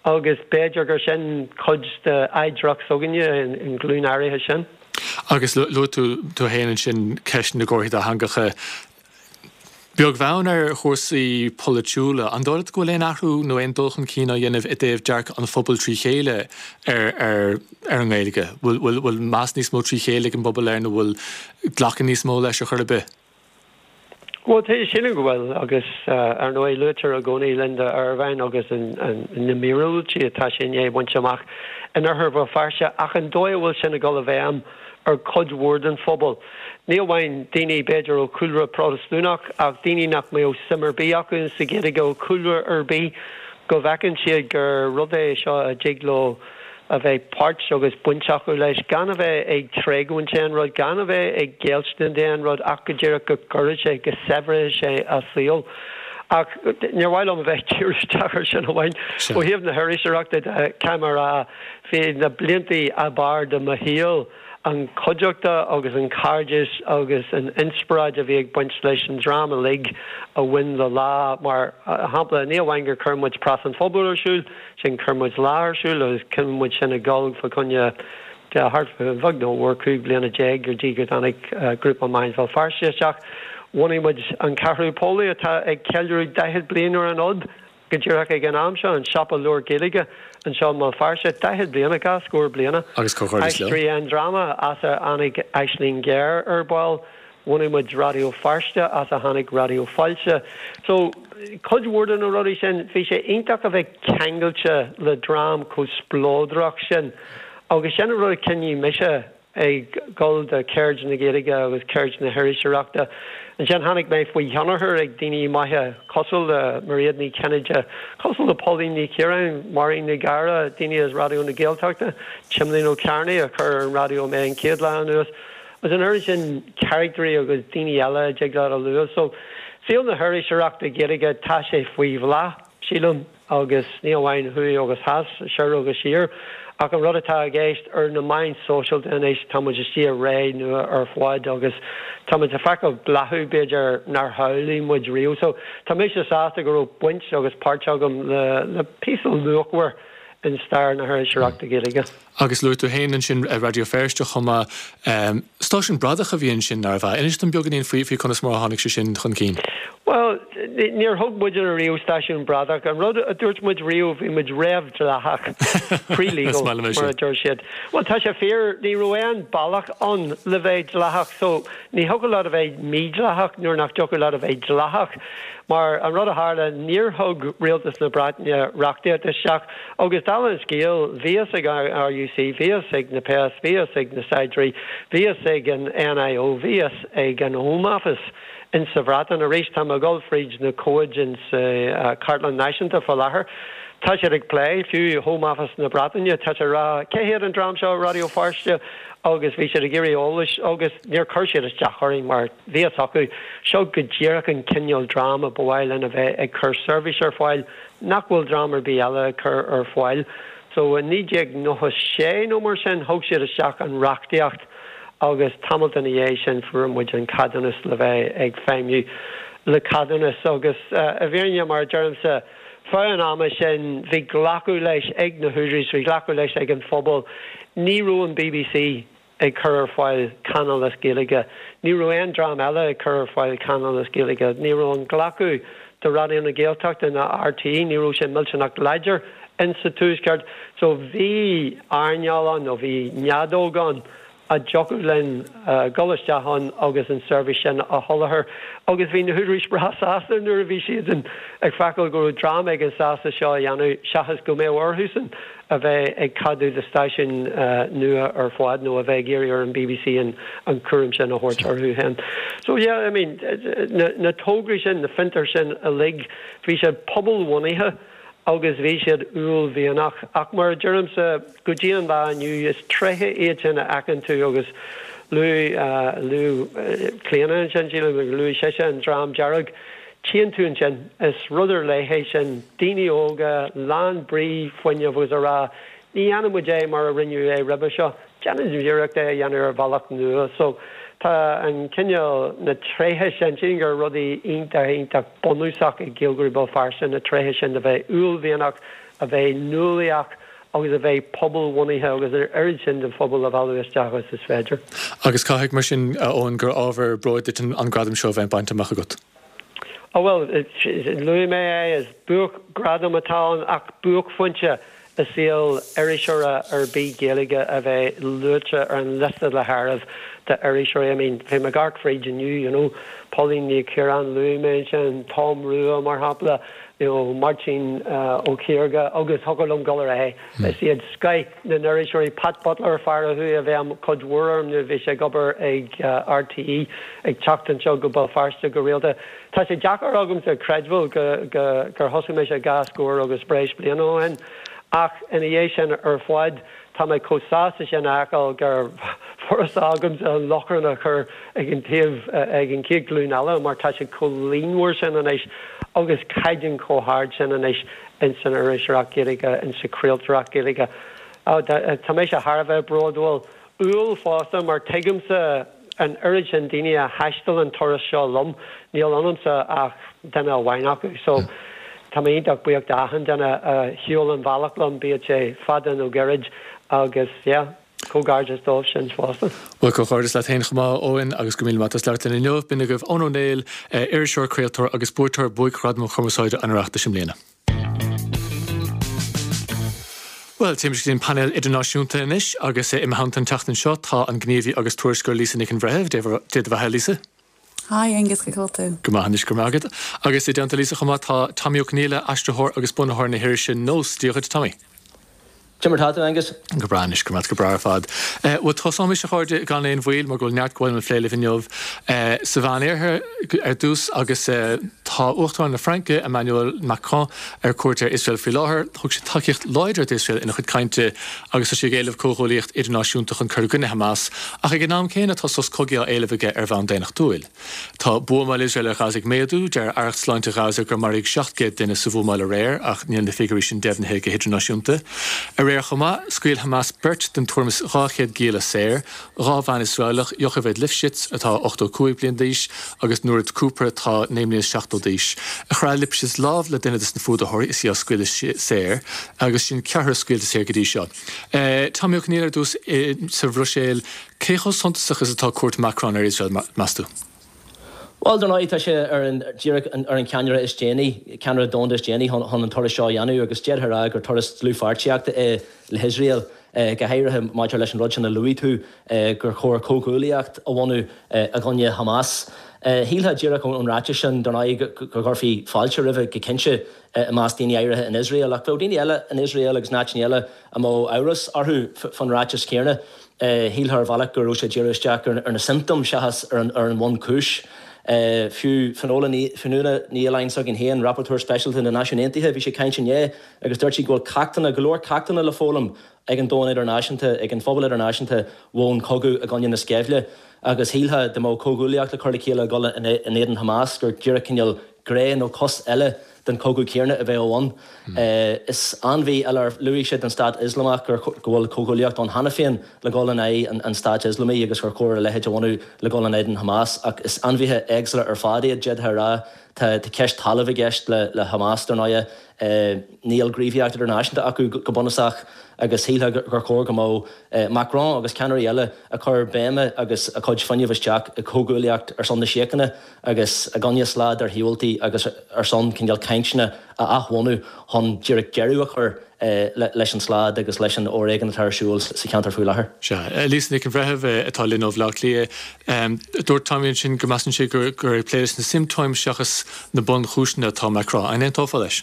agus b'fhéidir gur sin cuid d'oidhreacht s'againne, an ghlúin áirithe sin. Agus luaigh tú tú féin ansin ceist na gcomharthaí dátheangacha. Beag bheann ar chúrsaí polaitiúla, an dóigh leat go bhfuil aon athrú nó aon dul chun cinn á dhéanamh i dtaobh dearcadh an phobail trí chéile ar ar ar an nGaeilge? Bhfuil bhfuil bhfuil meas níos mó trí chéile ag an bpobal air nó bhfuil glacadh níos mó leis ar chor ar bith? Bhuel, sílim go bhfuil agus ar ndóigh luaitear i gcónaí Linda Ervine agus an an na míorúiltí atá sí i ndiaidh baint amach in oirthear Bhéal Feirste ach an dóigh a bhfuil sin ag dul i bhfeidhm ar chuid mhór den phobal. Ní amháin daoine b'fhéidir ó chúlra Protastúnach ach daoine nach mbeadh suim ar bith acu sa Ghaeilge ó chúlra ar bith, go bhfeiceann siad gur rud é seo a dtig leo a bheith páirt agus baint acu leis, gan a bheith ag tréigúint aon rud, gan a bheith ag géillstin d'aon rud ach go díreach go gcuirfidh sé, go saibhreoidh sé a saol. Ach níor mhaith liom a bheith ag díriú isteach ar sin amháin. Ó thaobh na hiriseoireachta de, caithfidh mé a rá, bhí na blianta ab fhearr de mo shaol, an chuideachta agus an cairdeas agus an inspioráid a bhí ag baint leis an dream uilig a bhain le Lá. Mar shampla, ní amháin gur chuir muid Preas an Phobail ar siúl, sin chuir muid Lá ar siúl agus choinnigh muid sin ag dul fá choinne thart fá bheag nó mhór cúig bliana déag go dtí go dtáinig Grúpa Meáin Bhéal Feirste isteach. Bhunaigh muid An Ceathrú Póilí atá ag ceiliúradh daichead bliain ar an fhód. Go díreach ag an am seo, an siopa leabhar Gaeilge anseo i mBéal Feirste, daichead bliana, dhá scór bliana. Agus comhghairdeas leo. Aisteoirí an Dráma, as a tháinig Aisling Ghéar ar ball. Bhunaigh muid Raidió Feirste, as a tháinig Raidió Fáilte. So, cuid mhór de na rudaí sin, bhí sé iontach a bheith ceangailte le dream chomh spleodrach sin. Agus sin an rud a choinnigh mise ag dul do cheird na Gaeilge agus ceird na hiriseoireachta. Ansin tháinig mé faoi thionchar ag daoine maithe cosúil le Mairéad Ní Chinnéide, cosúil le Pauline Ní Chiaráin, Máirín Ní Ghadhra, daoine as Raidió na Gaeltachta, Timlín Ó Cearnaigh a chuir ar an raidió mé an chéad lá anuas, agus an oiread sin caractairí agus daoine eile a dtig leat a lua. So, saol na hiriseoireachta Gaeilge, tá sé faoi bhláth, sílim. agus ní amháin thuaidh agus theas, soir agus siar, ach an rud atá i gceist ar na meáin sóisialta anois, tá muid istigh i ré nua ar fad agus tá muid ag feiceáil bláthú, b'fhéidir, nár shamhlaigh muid riamh. So, tá mise sásta go raibh baint agus páirt agam le le píosa luachmhar in stair na hiriseoireachta Gaeilge. Agus luaigh tú féin ansin Raidió Feirste chomh maith. Stáisiún bradach a bhí ansin, nárbh ea? Inis dom beagáinín faoi faoi conas mar a tháinig sé sin chun cinn. Bhuel, níor thug muidne riamh stáisiún bradach. An rud a dúirt muid riamh, bhí muid réamhdhleathach, pre-legal, mar a deir siad. Bhuel, tá sé fíor, ní raibh aon bealach ann le bheith dleathach, so ní thiocfadh leat a bheith mídhleathach nuair nach dtiocfadh leat a bheith dleathach. Mar an rud a tharla, níor thug rialtas na Breataine reachtaíocht isteach agus dála an scéil, bhí fhios ag an RUC, bhí fhios ag na péas, bhí fhios ag na saighdiúirí, bhí fhios ag an NIO, bhí fhios ag an Home Office in sa Bhreatain. Arís, tá mé ag dul fríd na comhaid in sa Chartlann Náisiúnta fá láthair. Tá siad ag plé, fiú Home Office na Breataine, tá siad ag rá, cé hiad an dream seo, Raidió Feirste? Agus bhí siad ag iarraidh eolais agus níor chuir siad isteach orainn mar bhí fhios acu, seo go díreach an cineál dream a ba mhaith linn a bheith ag cur seirbhís ar fáil nach bhfuil dream ar bith eile ag cur ar fáil. So i naoi déag nócha sé nó mar sin thug siad isteach an reachtaíocht agus tamalt ina dhiaidh sin fuair muid an ceadúnas le bheith ag feidhmiú le ceadúnas agus i bhfírinne mar a deirimse feadh an ama sin bhí glacadh leis ag na húdaráis, bhí glacadh leis ag an phobal, ní raibh an bbc ag cur ar fáil cainéal as Gaeilge. Ní raibh aon dream eile ag cur ar fáil cainéal as Gaeilge. Ní raibh an glacadh do Raidió na Gaeltachta ná RTÉ, ní raibh sé millteanach láidir in sa Tuaisceart. So bhí earnáil ann nó bhí neadóg ann a dtiocfadh linn dul isteach ann agus an seirbhís sin a sholáthar. Agus bhí na húdaráis breá sásta nuair a bhí siad ag feiceáil go raibh dream éigin sásta seo a dhéanamh seachas go mbeadh orthusan a bheith ag ceadú do stáisiúin nua ar fad nó a bheith ag iarraidh ar an bbc an cúram sin a thabhairt orthu féin. So yeah, I mean, na, na tograí sin, na fiontair sin uilig, bhí siad pobalbhunaithe agus bhí siad uaillmhianach. Ach mar a deirimse, go dtí an lá inniu, is tréithe iad sin a fheiceann tú agus luaigh, luaigh Clíona ansin, sílim, luaigh sise an Dream Dearg. Tchíonn tú ansin, is rud ar leith é sin, daoine óga, lán brí, fuinnimh agus a rá, ní dhéanfaidh muid é mar a rinneadh é roimhe seo, déanfaidh muid iarracht é a dhéanamh ar bhealach nua. So, tá an cineál, na tréithe sin, sílim gur rudaí iontach, iontach bunúsach ag Gaeilgeoirí Bhéal Feirste, na tréithe sin de bheith uaillmhianach, a bheith nuálaíoch agus a bheith pobalbhunaithe agus an oiread sin den phobal a mhealladh isteach agus is féidir. Agus caithfidh, mar sin, a Eoin, gur ábhar bróid duit an gradam seo a bheith bainte amach agat. Oh bhuel, luaigh mé é, is buaicghradam atá ann ach buaicphointe i saol iriseora ar bith Gaeilge a bheith luaite ar an liosta le háireamh d'iriseoirí. I mean, bhí mé ag amharc fríd inniu, you know, Pauline Ní Chiaráin, luaigh mé ansin, Tom Rua mar shampla, you know, Máirtín Ó Ciardha agus thiocfadh liom dul ar aghaidh. Is iad scoith na n-iriseoirí, Pat Butler, fear a chuaigh i bhfeidhm cuid mhór orm nuair a bhí sé ag obair ag RTÉ, ag teacht anseo go Béal Feirste go rialta. Tá sé deacair agamsa creidbheáil gur thosaigh mise dhá scór agus breis bliana ó shin, ach ina dhiaidh sin ar fad, tá mé chomh sásta sin a fheiceáil gur furasta agamsa an lochrán a chur ag an taobh, ag an chéad ghlúin eile mar tá sé chomh líonmhar sin anois agus caighdeán chomh hard sin anois ins an iriseoireacht Ghaeilge, ins an chraoltóireacht Ghaeilge. Tá mise thar a bheith bródúil. Umhal fosta mar tuigimse an oiread sin daoine a thaistil an turas seo liom, níl ionamsa ach duine amháin acu. So tá mé iontach buíoch d'achan duine a shiúil an bhealach liom, bíodh sé fada nó gairid agus yeah, comhghairdeas dóibh sin fosta. Bhuel, comhghairdeas leat féin chomh maith, Eoin, agus go raibh míle maith as labhairt linn inniu. B'in agaibh Eoin Ó Néill, iriseoir, craoltóir agus buaiteoir Buaicghradam Chumarsáide an Oireachtais i mbliana. Bhuel, téimis go dtí an painéal idirnáisiúnta anois agus i mo theannta an tseachtain seo tá an gníomhaí agus tuairisceoir Lisa Nic an Bhreithimh. Dé do bheatha, Lisa. Hi Aengus, cén chaoi a bhfuil tú? Go maith anois, go raibh maith agat. Agus i dteannta Lisa chomh maith tá Tommy Ó Conghaile, aistritheoir agus bunaitheoir na hirise Nós. Dia dhuit, Tommy. Cad é mar atá tú, Aengus? Go breá anois, go go breá ar fad. Bhuel tosóimis a chairde gan aon mhoill mar go bhfuil neart go bhfuil le plé libh inniu sa Mheánoirthear ar dtús agus tá Uachtarán na Fraince Emmanuel Macron ar cuairt ar Iosrael faoi láthair. Thug sé tacaíocht láidir d'Iosrael ina chuid cainte agus tá sé ag éileamh comhghuaillíocht idirnáisiúnta chun cur i gcoinne Hamas, ach ag an am céanna tá sos cogaidh á éileamh aige ar bhonn daonnachtúil. Tá buamáil Iosrael ar Ghaza ag méadú, deir Aireacht Sláinte Ghaza gur maraíodh seacht gcéad duine sa bhuamáil aréir ach níl na figiúirí sin deimhnithe go hidirnáisiúnta. Aréir chomh maith, scaoil Hamas beirt den tuairim is dhá chéad gialla saor, dhá bhean Iosraelach, Yocheved Lifshitz atá ochtó cúig bliain d'aois agus Nurit Cooper atá naoi mbliana is seachtó d'aois. Chraith Lifshitz lámh le duine de na fuadaitheoirí is í á scaoileadh saor agus sin ceathrar scaoilte saor go dtí seo. Tommy Ó Conghaile ar dtús sa Bhruiséil, cé chomh suntasach is atá cuairt Macron ar Iosrael, meas tú? Bhuel, dar ndóigh, tá sé ar an díreach ar an ceannaire is déanaí, ceannaire domhanda is déanaí chun chun an turas seo a dhéanamh agus d'fhéadfá a rá gur turas dlúthpháirtíochta é le hIosrael, go háirithe maidir leis an rud sin a luaigh tú, gur chóir comhghuaillíocht a bhunú i gcoinne Hamas. Shílfeá díreach ón ráiteas sin, dar ndóigh, go gcuirfí fáilte roimhe go cinnte i measc daoine áirithe in Iosrael, ach bheadh daoine eile in Iosrael agus in áiteanna eile a mbeadh amhras orthu fán ráiteas céanna. Shílfeá ar bhealach go raibh sé ag díriú isteach ar na siomptóim seachas ar an bhunchúis. Fiú Fionnuala Ní Aoláin s'againn féin, Rapporteur Speisialta na Náisiún Aontaithe, bhí sí ag caint inné agus dúirt sí go bhfuil ceachtanna, go leor ceachtanna le foghlaim ag an domhan idirnáisiúnta, ag an phobal idirnáisiúnta ón chogadh i gcoinne na sceimhle agus shílfeá dá mbeadh comhghuaillíocht le cur le chéile ag dul in éadan Hamas gur díreach cineál gné nó cos eile den chogadh céanna a bheadh ann. Is ainmhí eile, luaigh siad an Stát Ioslamach gur go bhfuil comhghuaillíocht ann cheana féin le dhul in aghaidh an Stáit Ioslamaigh agus gur chóir a leithéid a bhunú le dhul in éadan Hamas ach is ainmhithe éagsúla ar fad iad, d'fhéadfá a rá. Tá ceist talaimh i gceist le Hamas, dar ndóigh. Níl gníomhaíocht idirnáisiúnta acu go bunúsach agus shílfeá gur chóir go mbeadh Macron agus ceannairí eile ag cur béime agus a gcuid fuinnimh isteach i gcomhghuaillíocht ar son na síochána agus i gcoinne slad ar shiabhaltaí agus ar son cineál cainteanna a athbhunú chun díreach deireadh a chur leis an slad agus leis an fhoréigean atá ar siúl sa cheantar faoi láthair. Sea. Lisa Nic an Bhreithimh atá linn ó Bhaile Átha Cliath. Dúirt Tommy ansin go measann sé gur ag plé leis na siomptóim seachas na bunchúiseanna atá Macron. An aontófá leis?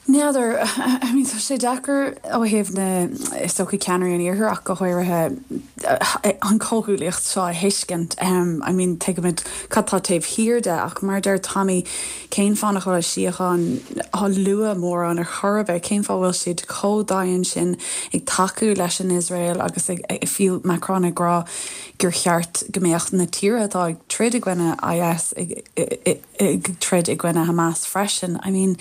N'fheadar, I mean tá sé deacair ó thaobh na is dócha ceannairí an iarthair ach go háirithe an comhghuaillíocht seo a thuiscint. I mean tuigimid cad tá taobh thiar de ach mar deir Tommy cén fáth nach bhfuil síocháin á lua mórán ar chor ar bith, cén fáth bhfuil siad chomh dian sin ag tacú leis an Iosrael agus ag fiú Macron ag rá gur cheart go mbeadh na tíortha atá ag troid i gcoinne IS ag troid i gcoinne Hamas freisin. I mean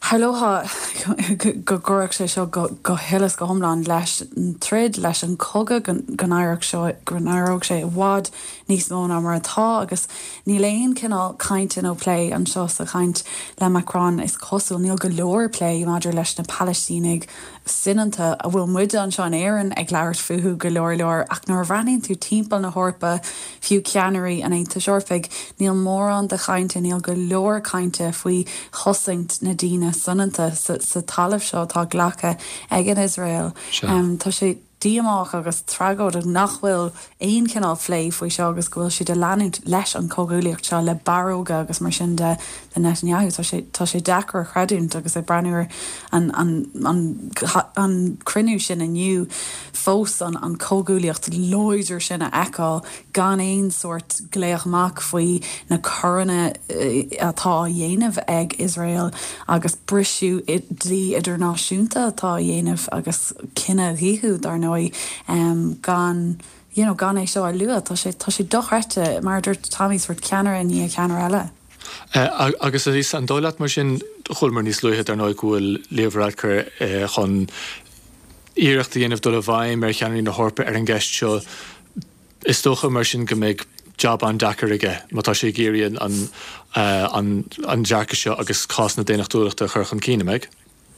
Tharlódh go gcuirfeadh sé seo go huile is go hiomlán leis an troid, leis an chogadh, go n-éireodh seo, go n-éireodh sé i bhfad níos mó ná mar atá agus níl aon chineál cainte nó plé anseo sa chaint le Macron is cosúil, níl go leor plé maidir leis na Palaistínigh soineanta a bhfuil muide anseo in Éirinn ag labhairt fúthu go leor leor ach nuair a bhreathnaíonn tú timpeall na hEorpa, fiú ceannairí an Aontais Eorpaigh, níl mórán de chainte, níl go leor cainte faoi chosaint na daoine soineanta sa talamh seo atá glactha ag an Iosrael. Tá sé díomách agus tragóideach nach bhfuil aon chineál plé faoi seo agus go bhfuil siad ag leanúint leis an chomhghuaillíocht seo le barróga agus mar sin de le Netanyahu. Tá sé tá sé deacair a chreidiúint agus ag breathnú ar an an an an cruinniú sin inniu fós an an chomhghuaillíocht láidir sin a fheiceáil gan aon sórt glaoch amach faoi na coireanna atá á dhéanamh ag Iosrael agus briseadh dlí idirnáisiúnta atá á dhéanamh agus cinedhíothú dar ndóigh gan you know gan é seo a lua. Tá sé tá sé dochreidte mar a dúirt Tommy sórt ceannaire i ndiaidh ceannaire eile. Agus Lisa, an dóigh leat mar sin, chualamar níos luaithe dar ndóigh go bhfuil Leo Varadkar chun iarracht a dhéanamh dul i bhfeidhm ar cheannairí na hEorpa ar an gceist seo. Is dócha mar sin go mbeidh jab an-deacair aige má tá sé ag iarraidh an an dearcadh seo agus cás na daonnachtúlachta a chur chun cinn, an mbeidh?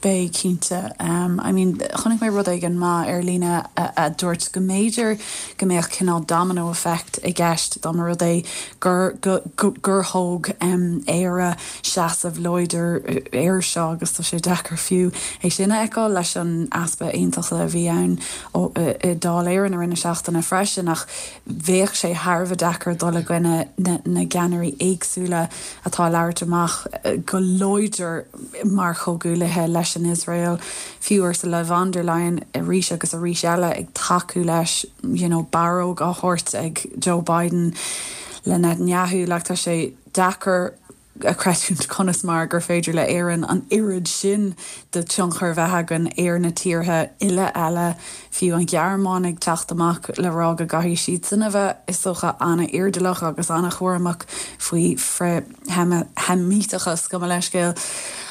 Beidh, cinnte. I mean, chonaic mé rud éigin maith ar líne a dúirt go mb'fhéidir go mbeadh cineál domino effect i gceist dá mba rud é gur gur thóg Éire seasamh láidir air seo agus tá sé deacair fiú é sin a fheiceáil leis an easpa aontachta a bhí ann i Dáil Éireann i rith na seachtaine freisin ach bheadh sé thar a bheith deacair dul i gcoinne na gceannairí éagsúla atá ag labhairt amach go láidir mar chomhghuaillithe leis an Iosrael, fiú Ursula von der Leyen arís agus arís eile ag tacú leis, you know, barróg á thabhairt ag Joe Biden le Netanyahu, like tá sé deacair a chreidiúint conas mar gur féidir le Éirinn an oiread sin de tionchar bheith againn ar na tíortha uile eile, fiú an Ghearmáin ag teacht amach le rá go gcaithfidh siadsan a bheith, is dócha, an-airdeallach agus an-chúramach faoi frith-Sheimíteachas, gabh mo leithscéal,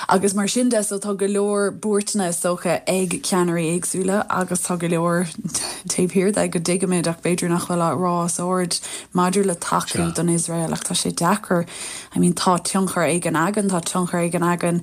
agus mar sin de. So tá go leor buairteanna, is dócha, ag ceannairí éagsúla agus tá go leor taobh thiar de go dtuigimid ach b'fhéidir nach bhfuil á rá os ard maidir le tacú don Iosrael ach tá sé deacair, I mean tá tionchar éigin againn, tá tionchar éigin againn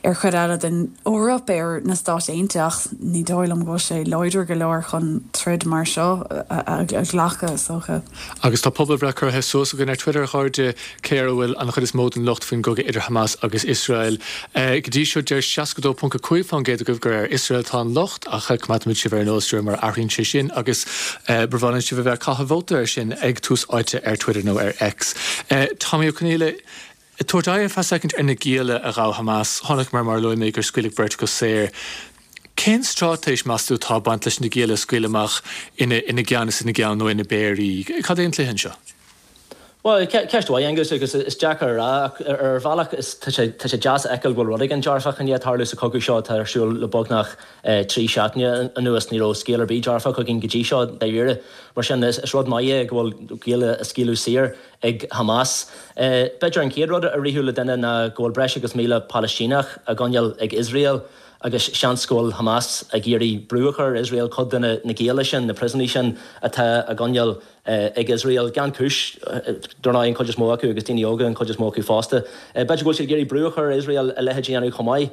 ar chuid eile den Eoraip, ar na Stáit Aontaithe ach ní dóigh liom go bhfuil sé láidir go leor chun troid mar seo a ghlacadh, is dócha. Agus tá pobalbhreith curtha suas againn ar Twitter, a chairde, cé air a bhfuil an chuid is mó den locht faoin gcogadh idir Hamas agus Iosrael. Go dtí seo deir seasca dó ponc a cúig faoin gcéad agaibh gur ar Iosrael atá an locht ach coimeádfaimid sibh ar an eolas de réir mar a athraíonn sé sin agus ba mhaith linn sibh a bheith ag caitheamh vóta air sin ag Tús Áite ar Twitter nó ar X. Tommy Ó Conghaile, Ag tabhairt aghaidh ar feadh soicind ar na gialla a ghabh Hamas, chonaiceamar mar a luaigh mé gur scaoileadh beirt acu saor. Cén straitéis, meas tú, atá ag baint leis na gialla a scaoileadh amach ina ina gceann is ina gceann nó ina bpéirí? Cad é an cluiche anseo? Bhuel, ceist mhaith, Aengus, agus is deacair a rá ach ar bhealach is tá sé tá sé deas a fheiceáil go bhfuil rud éigin dearfach i ndiaidh tarlú sa chogadh seo atá ar siúl le beagnach trí seachtaine anuas. Ní raibh scéal ar bith dearfach againn go dtí seo, dáiríre. Mar sin, is rud maith é go bhfuil gialla á scaoileadh saor ag Hamas. B'fhéidir an chéad rud a rithfeadh le duine ná go bhfuil breis agus míle Palaistíneach á gcoinneáil ag Iosrael agus seans go bhfuil Hamas ag iarraidh brú a chur ar Iosrael cuid de na gialla sin, na priosúnaigh sin atá á gcoinneáil ag Iosrael gan chúis, dar ndóigh, an chuid is mó acu agus daoine óga an chuid is mó acu fosta. B'fhéidir go bhfuil siad ag iarraidh brú a chur ar Iosrael a leithéid a dhéanamh chomh maith.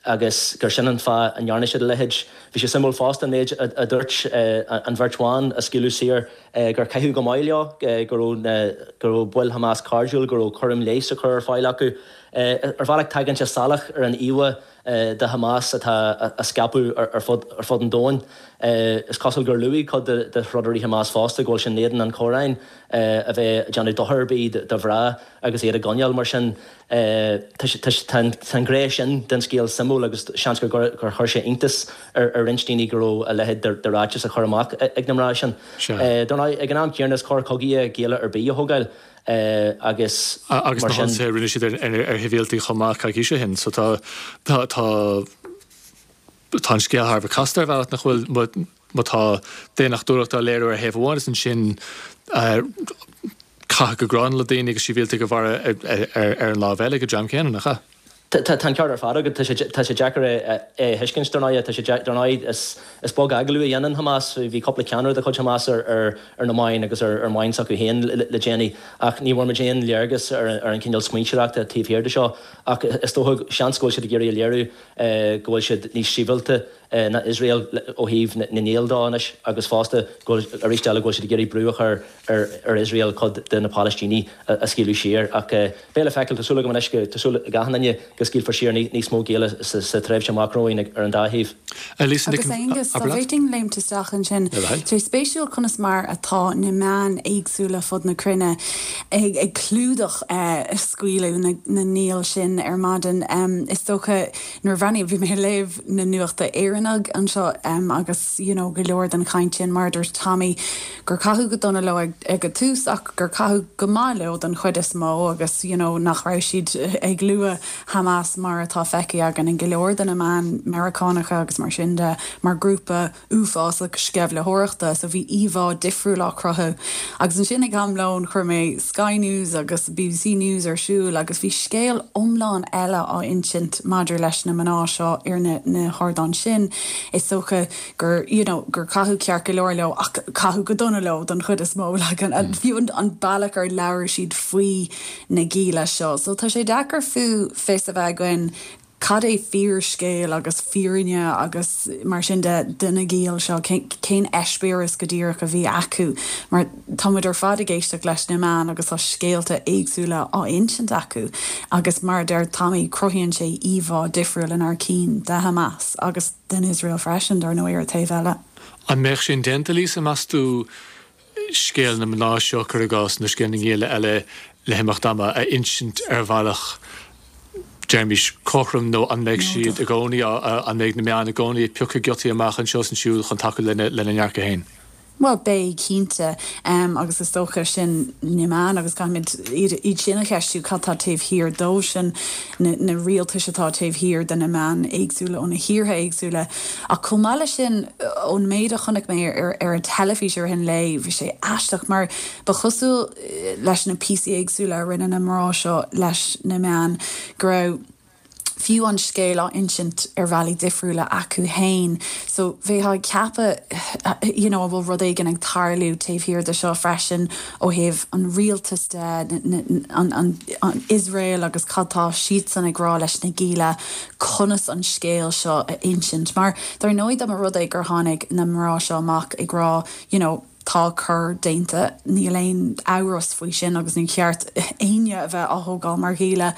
agus gur sin an fáth a ndearna siad a leithéid. Bhí sé suimiúil fosta an méid a dúirt an bheirt bhan a scaoileadh saor gur caitheadh go maith leo, go raibh go raibh baill Hamas cairdiúil, go raibh cúram leighis á chur ar fáil acu. Ar bhealach tagann sé salach ar an íomhá de Hamas atá á scaipeadh ar fud ar fud an domhain. Is cosúil gur luaigh cuid de throdairí Hamas fosta go bhfuil sé in éadan an Chóráin a bheith ag déanamh dochar ar bith do mhná agus iad a gcoinneáil mar sin. Tá an ghné sin den scéal suimiúil agus seans gur chuir sé iontas ar roinnt daoine go raibh a leithéid de ráiteas á chur amach ag na mná sin. Dar ndóigh, ag an am céanna is coir chogaidh é gialla ar bith a thógáil agus Agus na hionsaithe a rinne siad ar shibhialtaigh chomh maith coicís ó shin. So tá tá tá an scéal thar a bheith casta ar bhealach nach bhfuil má tá daonnachtúlacht á léiriú ar thaobh amháin is ansin caitheamh go gránna le daoine agus sibhialtaigh a mharú ar an lámh eile ag an dream céanna, nach ea? Tá an ceart ar fad agat, tá sé tá sé deacair é a thuiscint dar ndóigh, tá sé dar ndóigh is is beag agallamh a dhéanann Hamas, bhí cúpla ceannaire de chuid Hamas ar ar ar na meáin agus ar ar mheáin s'acu féin le déanaí ach ní bhfuair muid aon léargas ar ar an cineál smaointeoireachta taobh thiar de seo ach is dócha seans go bhfuil siad ag iarraidh a léiriú go bhfuil siad níos sibhialta ná Iosrael ó thaobh na ngiall de anois agus fosta go bhfuil arís eile go bhfuil siad ag iarraidh brú a chur ar ar Iosrael cuid de na Palaistínigh a scaoileadh siar. Ach beidh le feiceáil, tá súil agam anois go, tá súil ag achan duine go scaoilfear siar níos mó gialla sa tréimhse amach romhainn ar an dá thaobh. Lisa Nic Agus an, Aengus, dá abair leat. bhféadfainn léimt isteach ansin, Le do thoil. tá sé spéisiúil conas mar atá na meáin éagsúla fud na cruinne ag ag clúdach scaoileadh na na ngiall sin ar maidin. Is dócha nuair a bhreathnaigh, bhí mé ag léamh na nuachta Éireannaigh anseo agus you know go leor den chaint sin mar a dúirt Tommy gur caitheadh go dona leo ag ag an tús ach gur caitheadh go maith leo den chuid is mó agus you know nach raibh siad ag lua Hamas mar atá feicthe againn in go leor de na meáin Meiriceánacha agus mar sin de mar grúpa uafásach sceimhlitheoireachta so bhí íomhá difriúil á cruthú. Agus ansin ag am lóin chuir mé Sky News agus BBC News ar siúl agus bhí scéal iomlán eile á insint maidir leis na mná seo ar na na hardáin sin. Is dócha gur you know gur caitheadh ceart go leor leo ach caitheadh go dona leo don chuid is mó like an an fiú an an bealach ar labhair siad faoi na gialla seo. So tá sé deacair fiú fios a bheith againn cad é fíorscéal agus fírinne agus mar sin de de na giall seo cén eispéireas go díreach a bhí acu mar táimid ar fad ag éisteacht leis na meáin agus tá scéalta éagsúla á insint acu agus mar a deir Tommy cruthaíonn sé íomhá difriúil inár gcinn de Hamas agus den Iosrael freisin dar ndóigh ar an taobh eile. An mbeadh sin déanta Lisa meas tú scéal na mná seo cuir i gcás nó scéal na ngialla eile le himeacht ama a insint ar bhealach deirimís cothrom nó an mbeidh siad i gcónaí an mbeidh na meáin i gcónaí ag piocadh giotaí amach anseo is ansiúd chun tacú lena lena ndearcadh féin? Bhuel beidh cinnte um, agus is dócha sin na meáin agus caithfimid iad iad sin a cheistiú cad tá taobh thiar dó sin na, na rialtais atá taobh thiar de na meáin éagsúla ó na thíortha éagsúla. Ach chomh maith leis sin ón méid a chonaic mé ar, ar an teilifís ar an lae bhí sé aisteach mar ba chosúil leis na píosaí éagsúla a rinne na mná seo leis na meáin go raibh fiú an scéal á insint ar bhealaí difriúla acu féin. So bheifeá ag ceapadh you know, bhfuil rud éigin ag tarlú taobh thiar de seo freisin ó thaobh an rialtas de an, an, an Iosrael agus cad tá siadsan ag rá leis na gialla conas an scéal seo a insint. Mar dar ndóigh dá mba rud é gur tháinig na mná seo amach ag rá you know, tá coir déanta níl aon amhras faoi sin agus ní ceart éinne a bheith á thógáil mar ghialla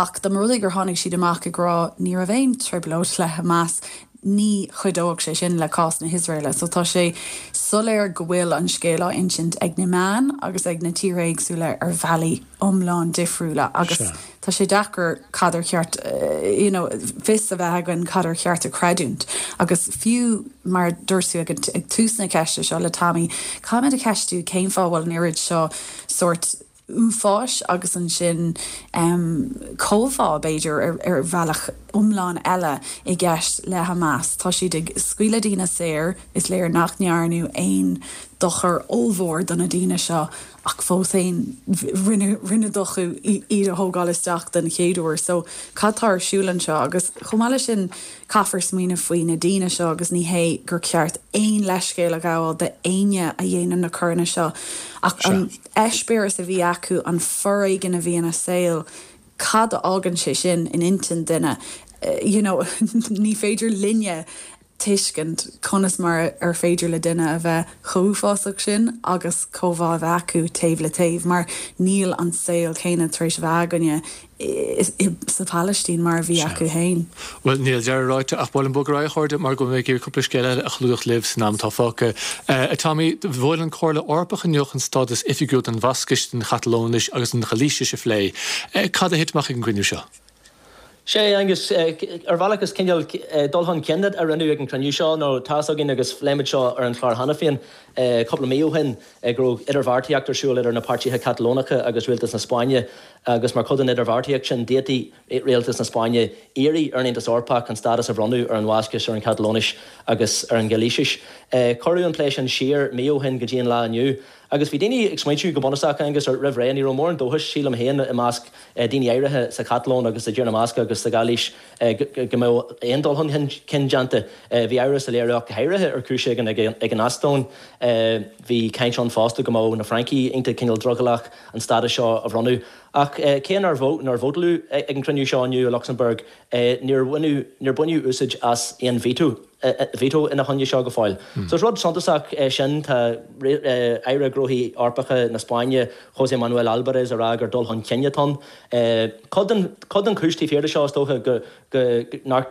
ach dá mba rud é gur tháinig siad amach ag rá ní raibh aon trioblóid le Hamas ní chuideodh sé sin le cás na hIosraeile, so tá sé soiléir go bhfuil an scéal á insint ag na meáin agus ag na tíortha éagsúla ar bhealaí iomlán difriúla agus tá sé deacair cad ar cheart you know, fios a bheith againn cad ar cheart a chreidiúint. Agus fiú mar dúirt tú ag ag tús na ceiste seo le Tommy, caithfimid a cheistiú cén fáth bhfuil an oiread seo sórt uafáis agus ansin um, comhbhá b'fhéidir ar, ar bhealach iomlán eile i gceist le Hamas. Tá siad ag scaoileadh daoine saor is léir nach ndearnadh aon dochar ollmhór do na daoine seo ach fós féin rinne rinne dochar iad a thógáil isteach den chéad uair. So cad tá ar siúl anseo agus chomh maith leis sin caithfear smaoineamh faoi na daoine seo agus ní hé gur ceart aon leithscéal a ghabháil d'éinne a dhéanann na coireanna seo ach an eispéireas a bhí acu an foréigean a bhí ina saol cad a fhágann sé sin in intinn duine you know ní féidir linne tuiscint conas mar ar féidir le duine a bheith chomh uafásach sin agus comhbhá a bheith acu taobh le taobh mar níl an saol céanna tar éis a bheith againne sa Phalaistín mar a bhí acu féin. Well níl deireadh ráite ach bhfuil an bogará chuirde mar go mbeidh cúpla scéal eile a chlúdach libh san am atá fágtha. Uh, Tommy, bhuail an Chomhairle Eorpach inniu an stádas oifigiúil don Bhascais don Chatalóinis agus an Ghailísis a phlé. Uh, cad a thit amach ag an gcruinniú seo? Sé agus ar bhealach is cineál dul chun cinn a rinneadh ag an chruinniú seo nó tá a fhios againn agus phléigh muid seo ar an chlár cheana féin cúpla mí ó shin go raibh idirbheartaíocht ar siúl idir na páirtithe Catalónacha agus rialtas na Spáinne agus mar chuid den idirbheartaíocht sin d'fhéadfadh rialtas na Spáinne iarraidh ar an Aontas Eorpach an stádas a bhronnadh ar an Bhascais ar an Chatalóinis agus ar an Ghailísis. Cuireadh an plé sin siar mí ó shin go dtí an lá inniu. Agus bhí daoine ag smaointiú go bunúsach agus roimh ré ní raibh mórán dóchais sílim féin i measc daoine áirithe sa Chatalóin agus i dTír na mBascach agus sa Ghailís go mbeadh aon dul chun cinn déanta. Bhí amhras á léiriú go háirithe ar chúis éigin ag an Eastóin. Bhí caint ann fosta go mbeadh na Francaigh iontach cineál drogallach an stádas seo a bhronnadh. Ach cé nár vótáladh ag an gcruinniú seo inniu i Lucsamburg, níor baineadh úsáid as aon veto veto ina choinne seo go fóill. So is rud suntasach é sin. Tá Aire Gnóthaí Eorpacha na Spáinne, José Manuel Albares, ag rá gur dul chun cinn atá ann. Cuid den chúis taobh thiar de seo is dócha go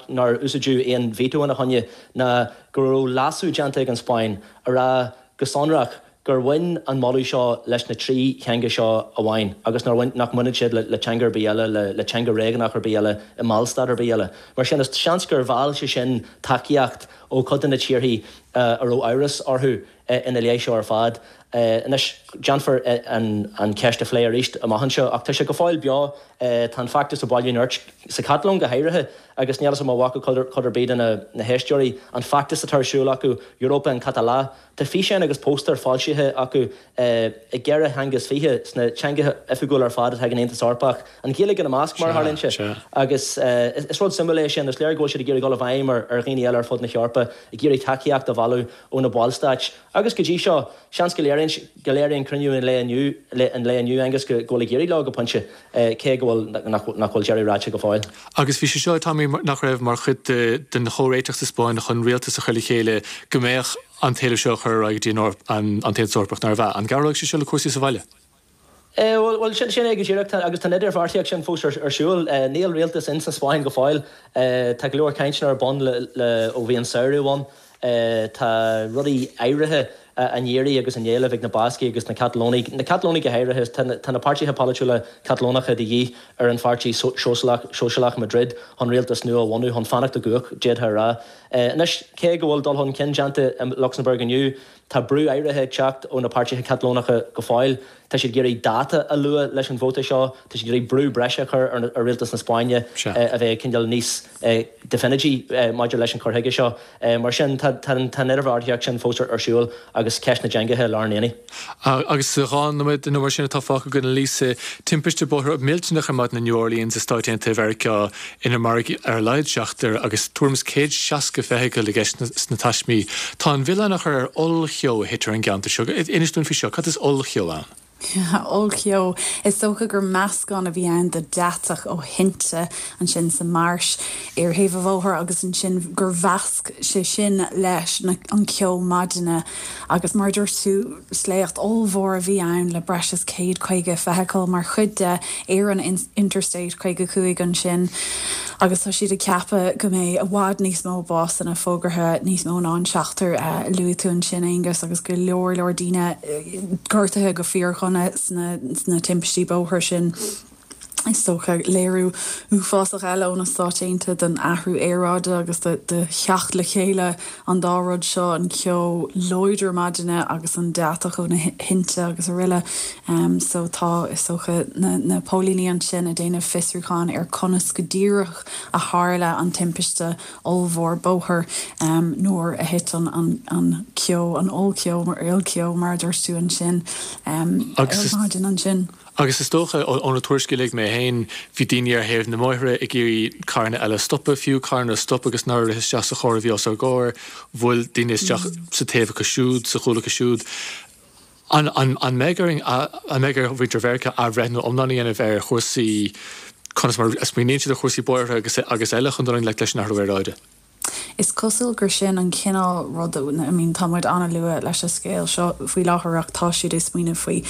nár úsáideadh aon veto ina choinne ná go raibh leasú déanta ag an Spáinn a rá go sonrach gur bhain an moladh seo leis na trí theanga seo amháin agus nár bhain, nach mbaineann siad le teanga ar bith eile, le teanga réigiúnach ar bith eile i mballstát ar bith eile. Mar sin, is seans gur mheall sé sin tacaíocht ó chuid de na tíorthaí a raibh amhras orthu ina leith seo ar fad. Anois, déanfar an cheist a phlé arís amach anseo, ach tá sé go fóill beo. Tá an feachtas ag bailiú nirt, sa Chatalóin go háirithe, agus níl 'fhios a'm an bhfaca cuid ar bith de na héisteoirí an feachtas atá ar siúl acu, Europa en Català. Tá físeáin agus póstaeir foilsithe acu i gceithre theanga is fiche, sna teangacha oifigiúla ar fad atá ag an Aontas Eorpach, an Ghaeilge ina measc, mar a tharlaíonn sé. Agus is rud suimiúil é sin, is léir go bhfuil siad ag iarraidh dul i bhfeidhm ar dhaoine eile ar fud na hEorpa, ag iarraidh tacaíocht a bhailiú ó na ballstáit. Agus go dtí seo, seans go léiríonn go léiríonn cruinniú an lae inniu, an lae inniu, Aengus, go bhfuil ag éirí leo go pointe, cé go bhfuil, nach bhfuil deireadh ráite go fóill. Agus bhí sé seo, Tommy, nach raibh mar chuid den chomhréiteach sa Spáinn chun rialtas a chur le chéile go mbeadh an t-éileamh seo a chur ar aghaidh go dtí an tAontas Eorpach, nárbh ea? An gcabhróidh sé seo le cúrsaí sa bhaile? Bhuel, sin é go díreach, agus tá an idirbheartaíocht sin fós ar siúl. Níl rialtas in sa Spáinn go fóill. Tá go leor cainteanna ar bun le ó bhí an samhradh ann. Tá rudaí áirithe á n-iarraidh agus á n-éileamh ag na Bascaigh agus na Catalónaigh, na Catalónaigh go háirithe. Tá na páirtithe polaitiúla Catalónacha de dhíth ar an pháirtí Sóisialach i Madrid chun rialtas nua a bhunú, chun fanacht i gcumhacht, d'fhéadfá a rá. Anois, cé go bhfuil dul chun cinn déanta i Lucsamburg inniu, tá brú áirithe ag teacht ó na páirtithe Catalónacha go fóill. Tá siad ag iarraidh dáta a lua leis an vóta seo, tá siad ag iarraidh brú breise a chur ar rialtas na Spáinne a bheith cineál níos definití maidir leis an chur chuige seo. Mar sin, tá an idirbheartaíocht sin fós ar siúl agus ceist na dteangacha i lár an aonaigh. Agus sa dhá nóiméad nó mar sin atá fágtha againn, Lisa, timpiste bóthair millteanach ar maidin i New Orleans i Stáit Aontaithe Mheiriceá inar maraíodh ar a laghad seachtar agus tuairim is céad seasca feithicil i gceist sna taismí. Tá an milleán á chur ar ollcheo a thit ar an gceantar seo. Inis dúinn faoi seo, cad is ollcheo ann? Ollcheo. Is dócha gur meascán a bhí ann de deatach ó thinte ansin sa marsh ar thaobh an bhóthair agus ansin gur mheasc sé sin leis an ceo maidine agus mar a dúirt tú sléacht ollmhór a bhí ann le breis is céad caoga feithicil mar chuid de ar an Interstate caoga cúig ansin agus tá siad ag ceapadh go mbeidh i bhfad níos mó básanna fógartha, níos mó ná an seachtar a luaigh tú ansin Aengus agus go leor leor daoine gortaithe go fíordhona sna sna timpistí bóthair sin. Is dócha léiriú uafásach eile ó na Stáit Aontaithe den athrú aeráide agus de de theacht le chéile an dá rud seo, an ceo láidir maidine agus an deatach ó na thinte agus araile. So tá, is dócha, na na póilíní ansin ag déanamh fiosrúcháin ar conas go díreach a tharla an timpiste ollmhór bóthair nuair a thit an an an ceo, an ollcheo, ollcheo mar a dúirt tú ansin, ar maidin ansin. Agus is dócha, ó na tuairiscí a léigh mé féin, bhí daoine ar thaobh na mbóithre ag iarraidh carranna eile a stopadh, fiú carranna a stop agus nár rith isteach sa charr a bhí os ár gcomhair, bhuail daoine isteach sa taobh acu siúd, sa chúl acu siúd. An an mbeidh orainn, an mbeidh ar mhuintir Mheiriceá athbhreithniú iomlán a dhéanamh ar chúrsaí, conas mar a smaoiníonn siad ar chúrsaí bóithre agus agus eile chun dul i ngleic leis an athrú aeráide? Is cosúil gur sin an cineál ruda, I mean tá muid an-luath leis an scéal seo faoi láthair ach tá siad ag smaoineamh faoi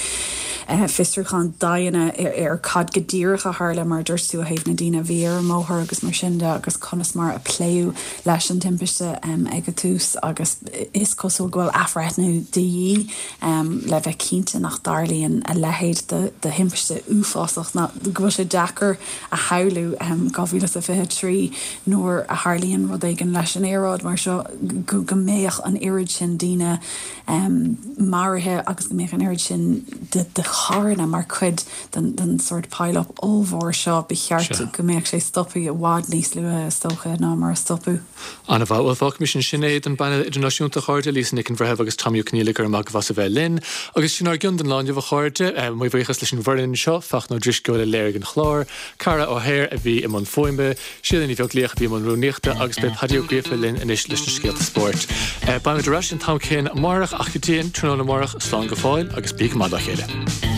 fiosrúchán daonna ar cad go díreach a tharla mar a dúirt tú ó thaobh na daoine a bhí ar an mbóthar agus mar sin de agus conas mar a pléadh leis an timpiste ag an tús agus is cosúil go bhfuil athbhreithniú de dhíth le bheith cinnte nach dtarlaíonn a leithéid de thimpiste uafásach ná go bhfuil sé deacair a shamhlú dhá mhíle is a fiche trí nuair a tharlaíonn rud éigin éigin leis an aeráid mar seo go go mbeadh an oiread sin daoine um, maraithe agus go mbeadh an oiread sin de, de charranna mar chuid den, den sort pile-up ollmhór seo ba cheart go mbeadh sé stoptha i bhfad níos luaithe is dócha ná mar a stopadh. Ana mhaith bhuel fágaimis ansin é don bpainéal idirnáisiúnta a chairde Lisa Nic an Bhreithimh agus Tommy Ó Conghaile go raibh maith agaibh as a bheith linn agus sin ár gcion don lá inniu a chairde mo bhuíochas leis an bhfoireann seo Fachtna Ó Drisceoil a léirigh an clár, Cara O'Hare a bhí i mbun fuaime, Síle Ní Bheaglaoich a bhí i mbun rúnaíochta agus beidh Paddy Ó Gríofa linn anois leis na scéalta spóirt. Beimid ar ais an t-am céanna amárach ach go dtí an tráthnóna amárach slán go fóill agus bí go maith dá chéile.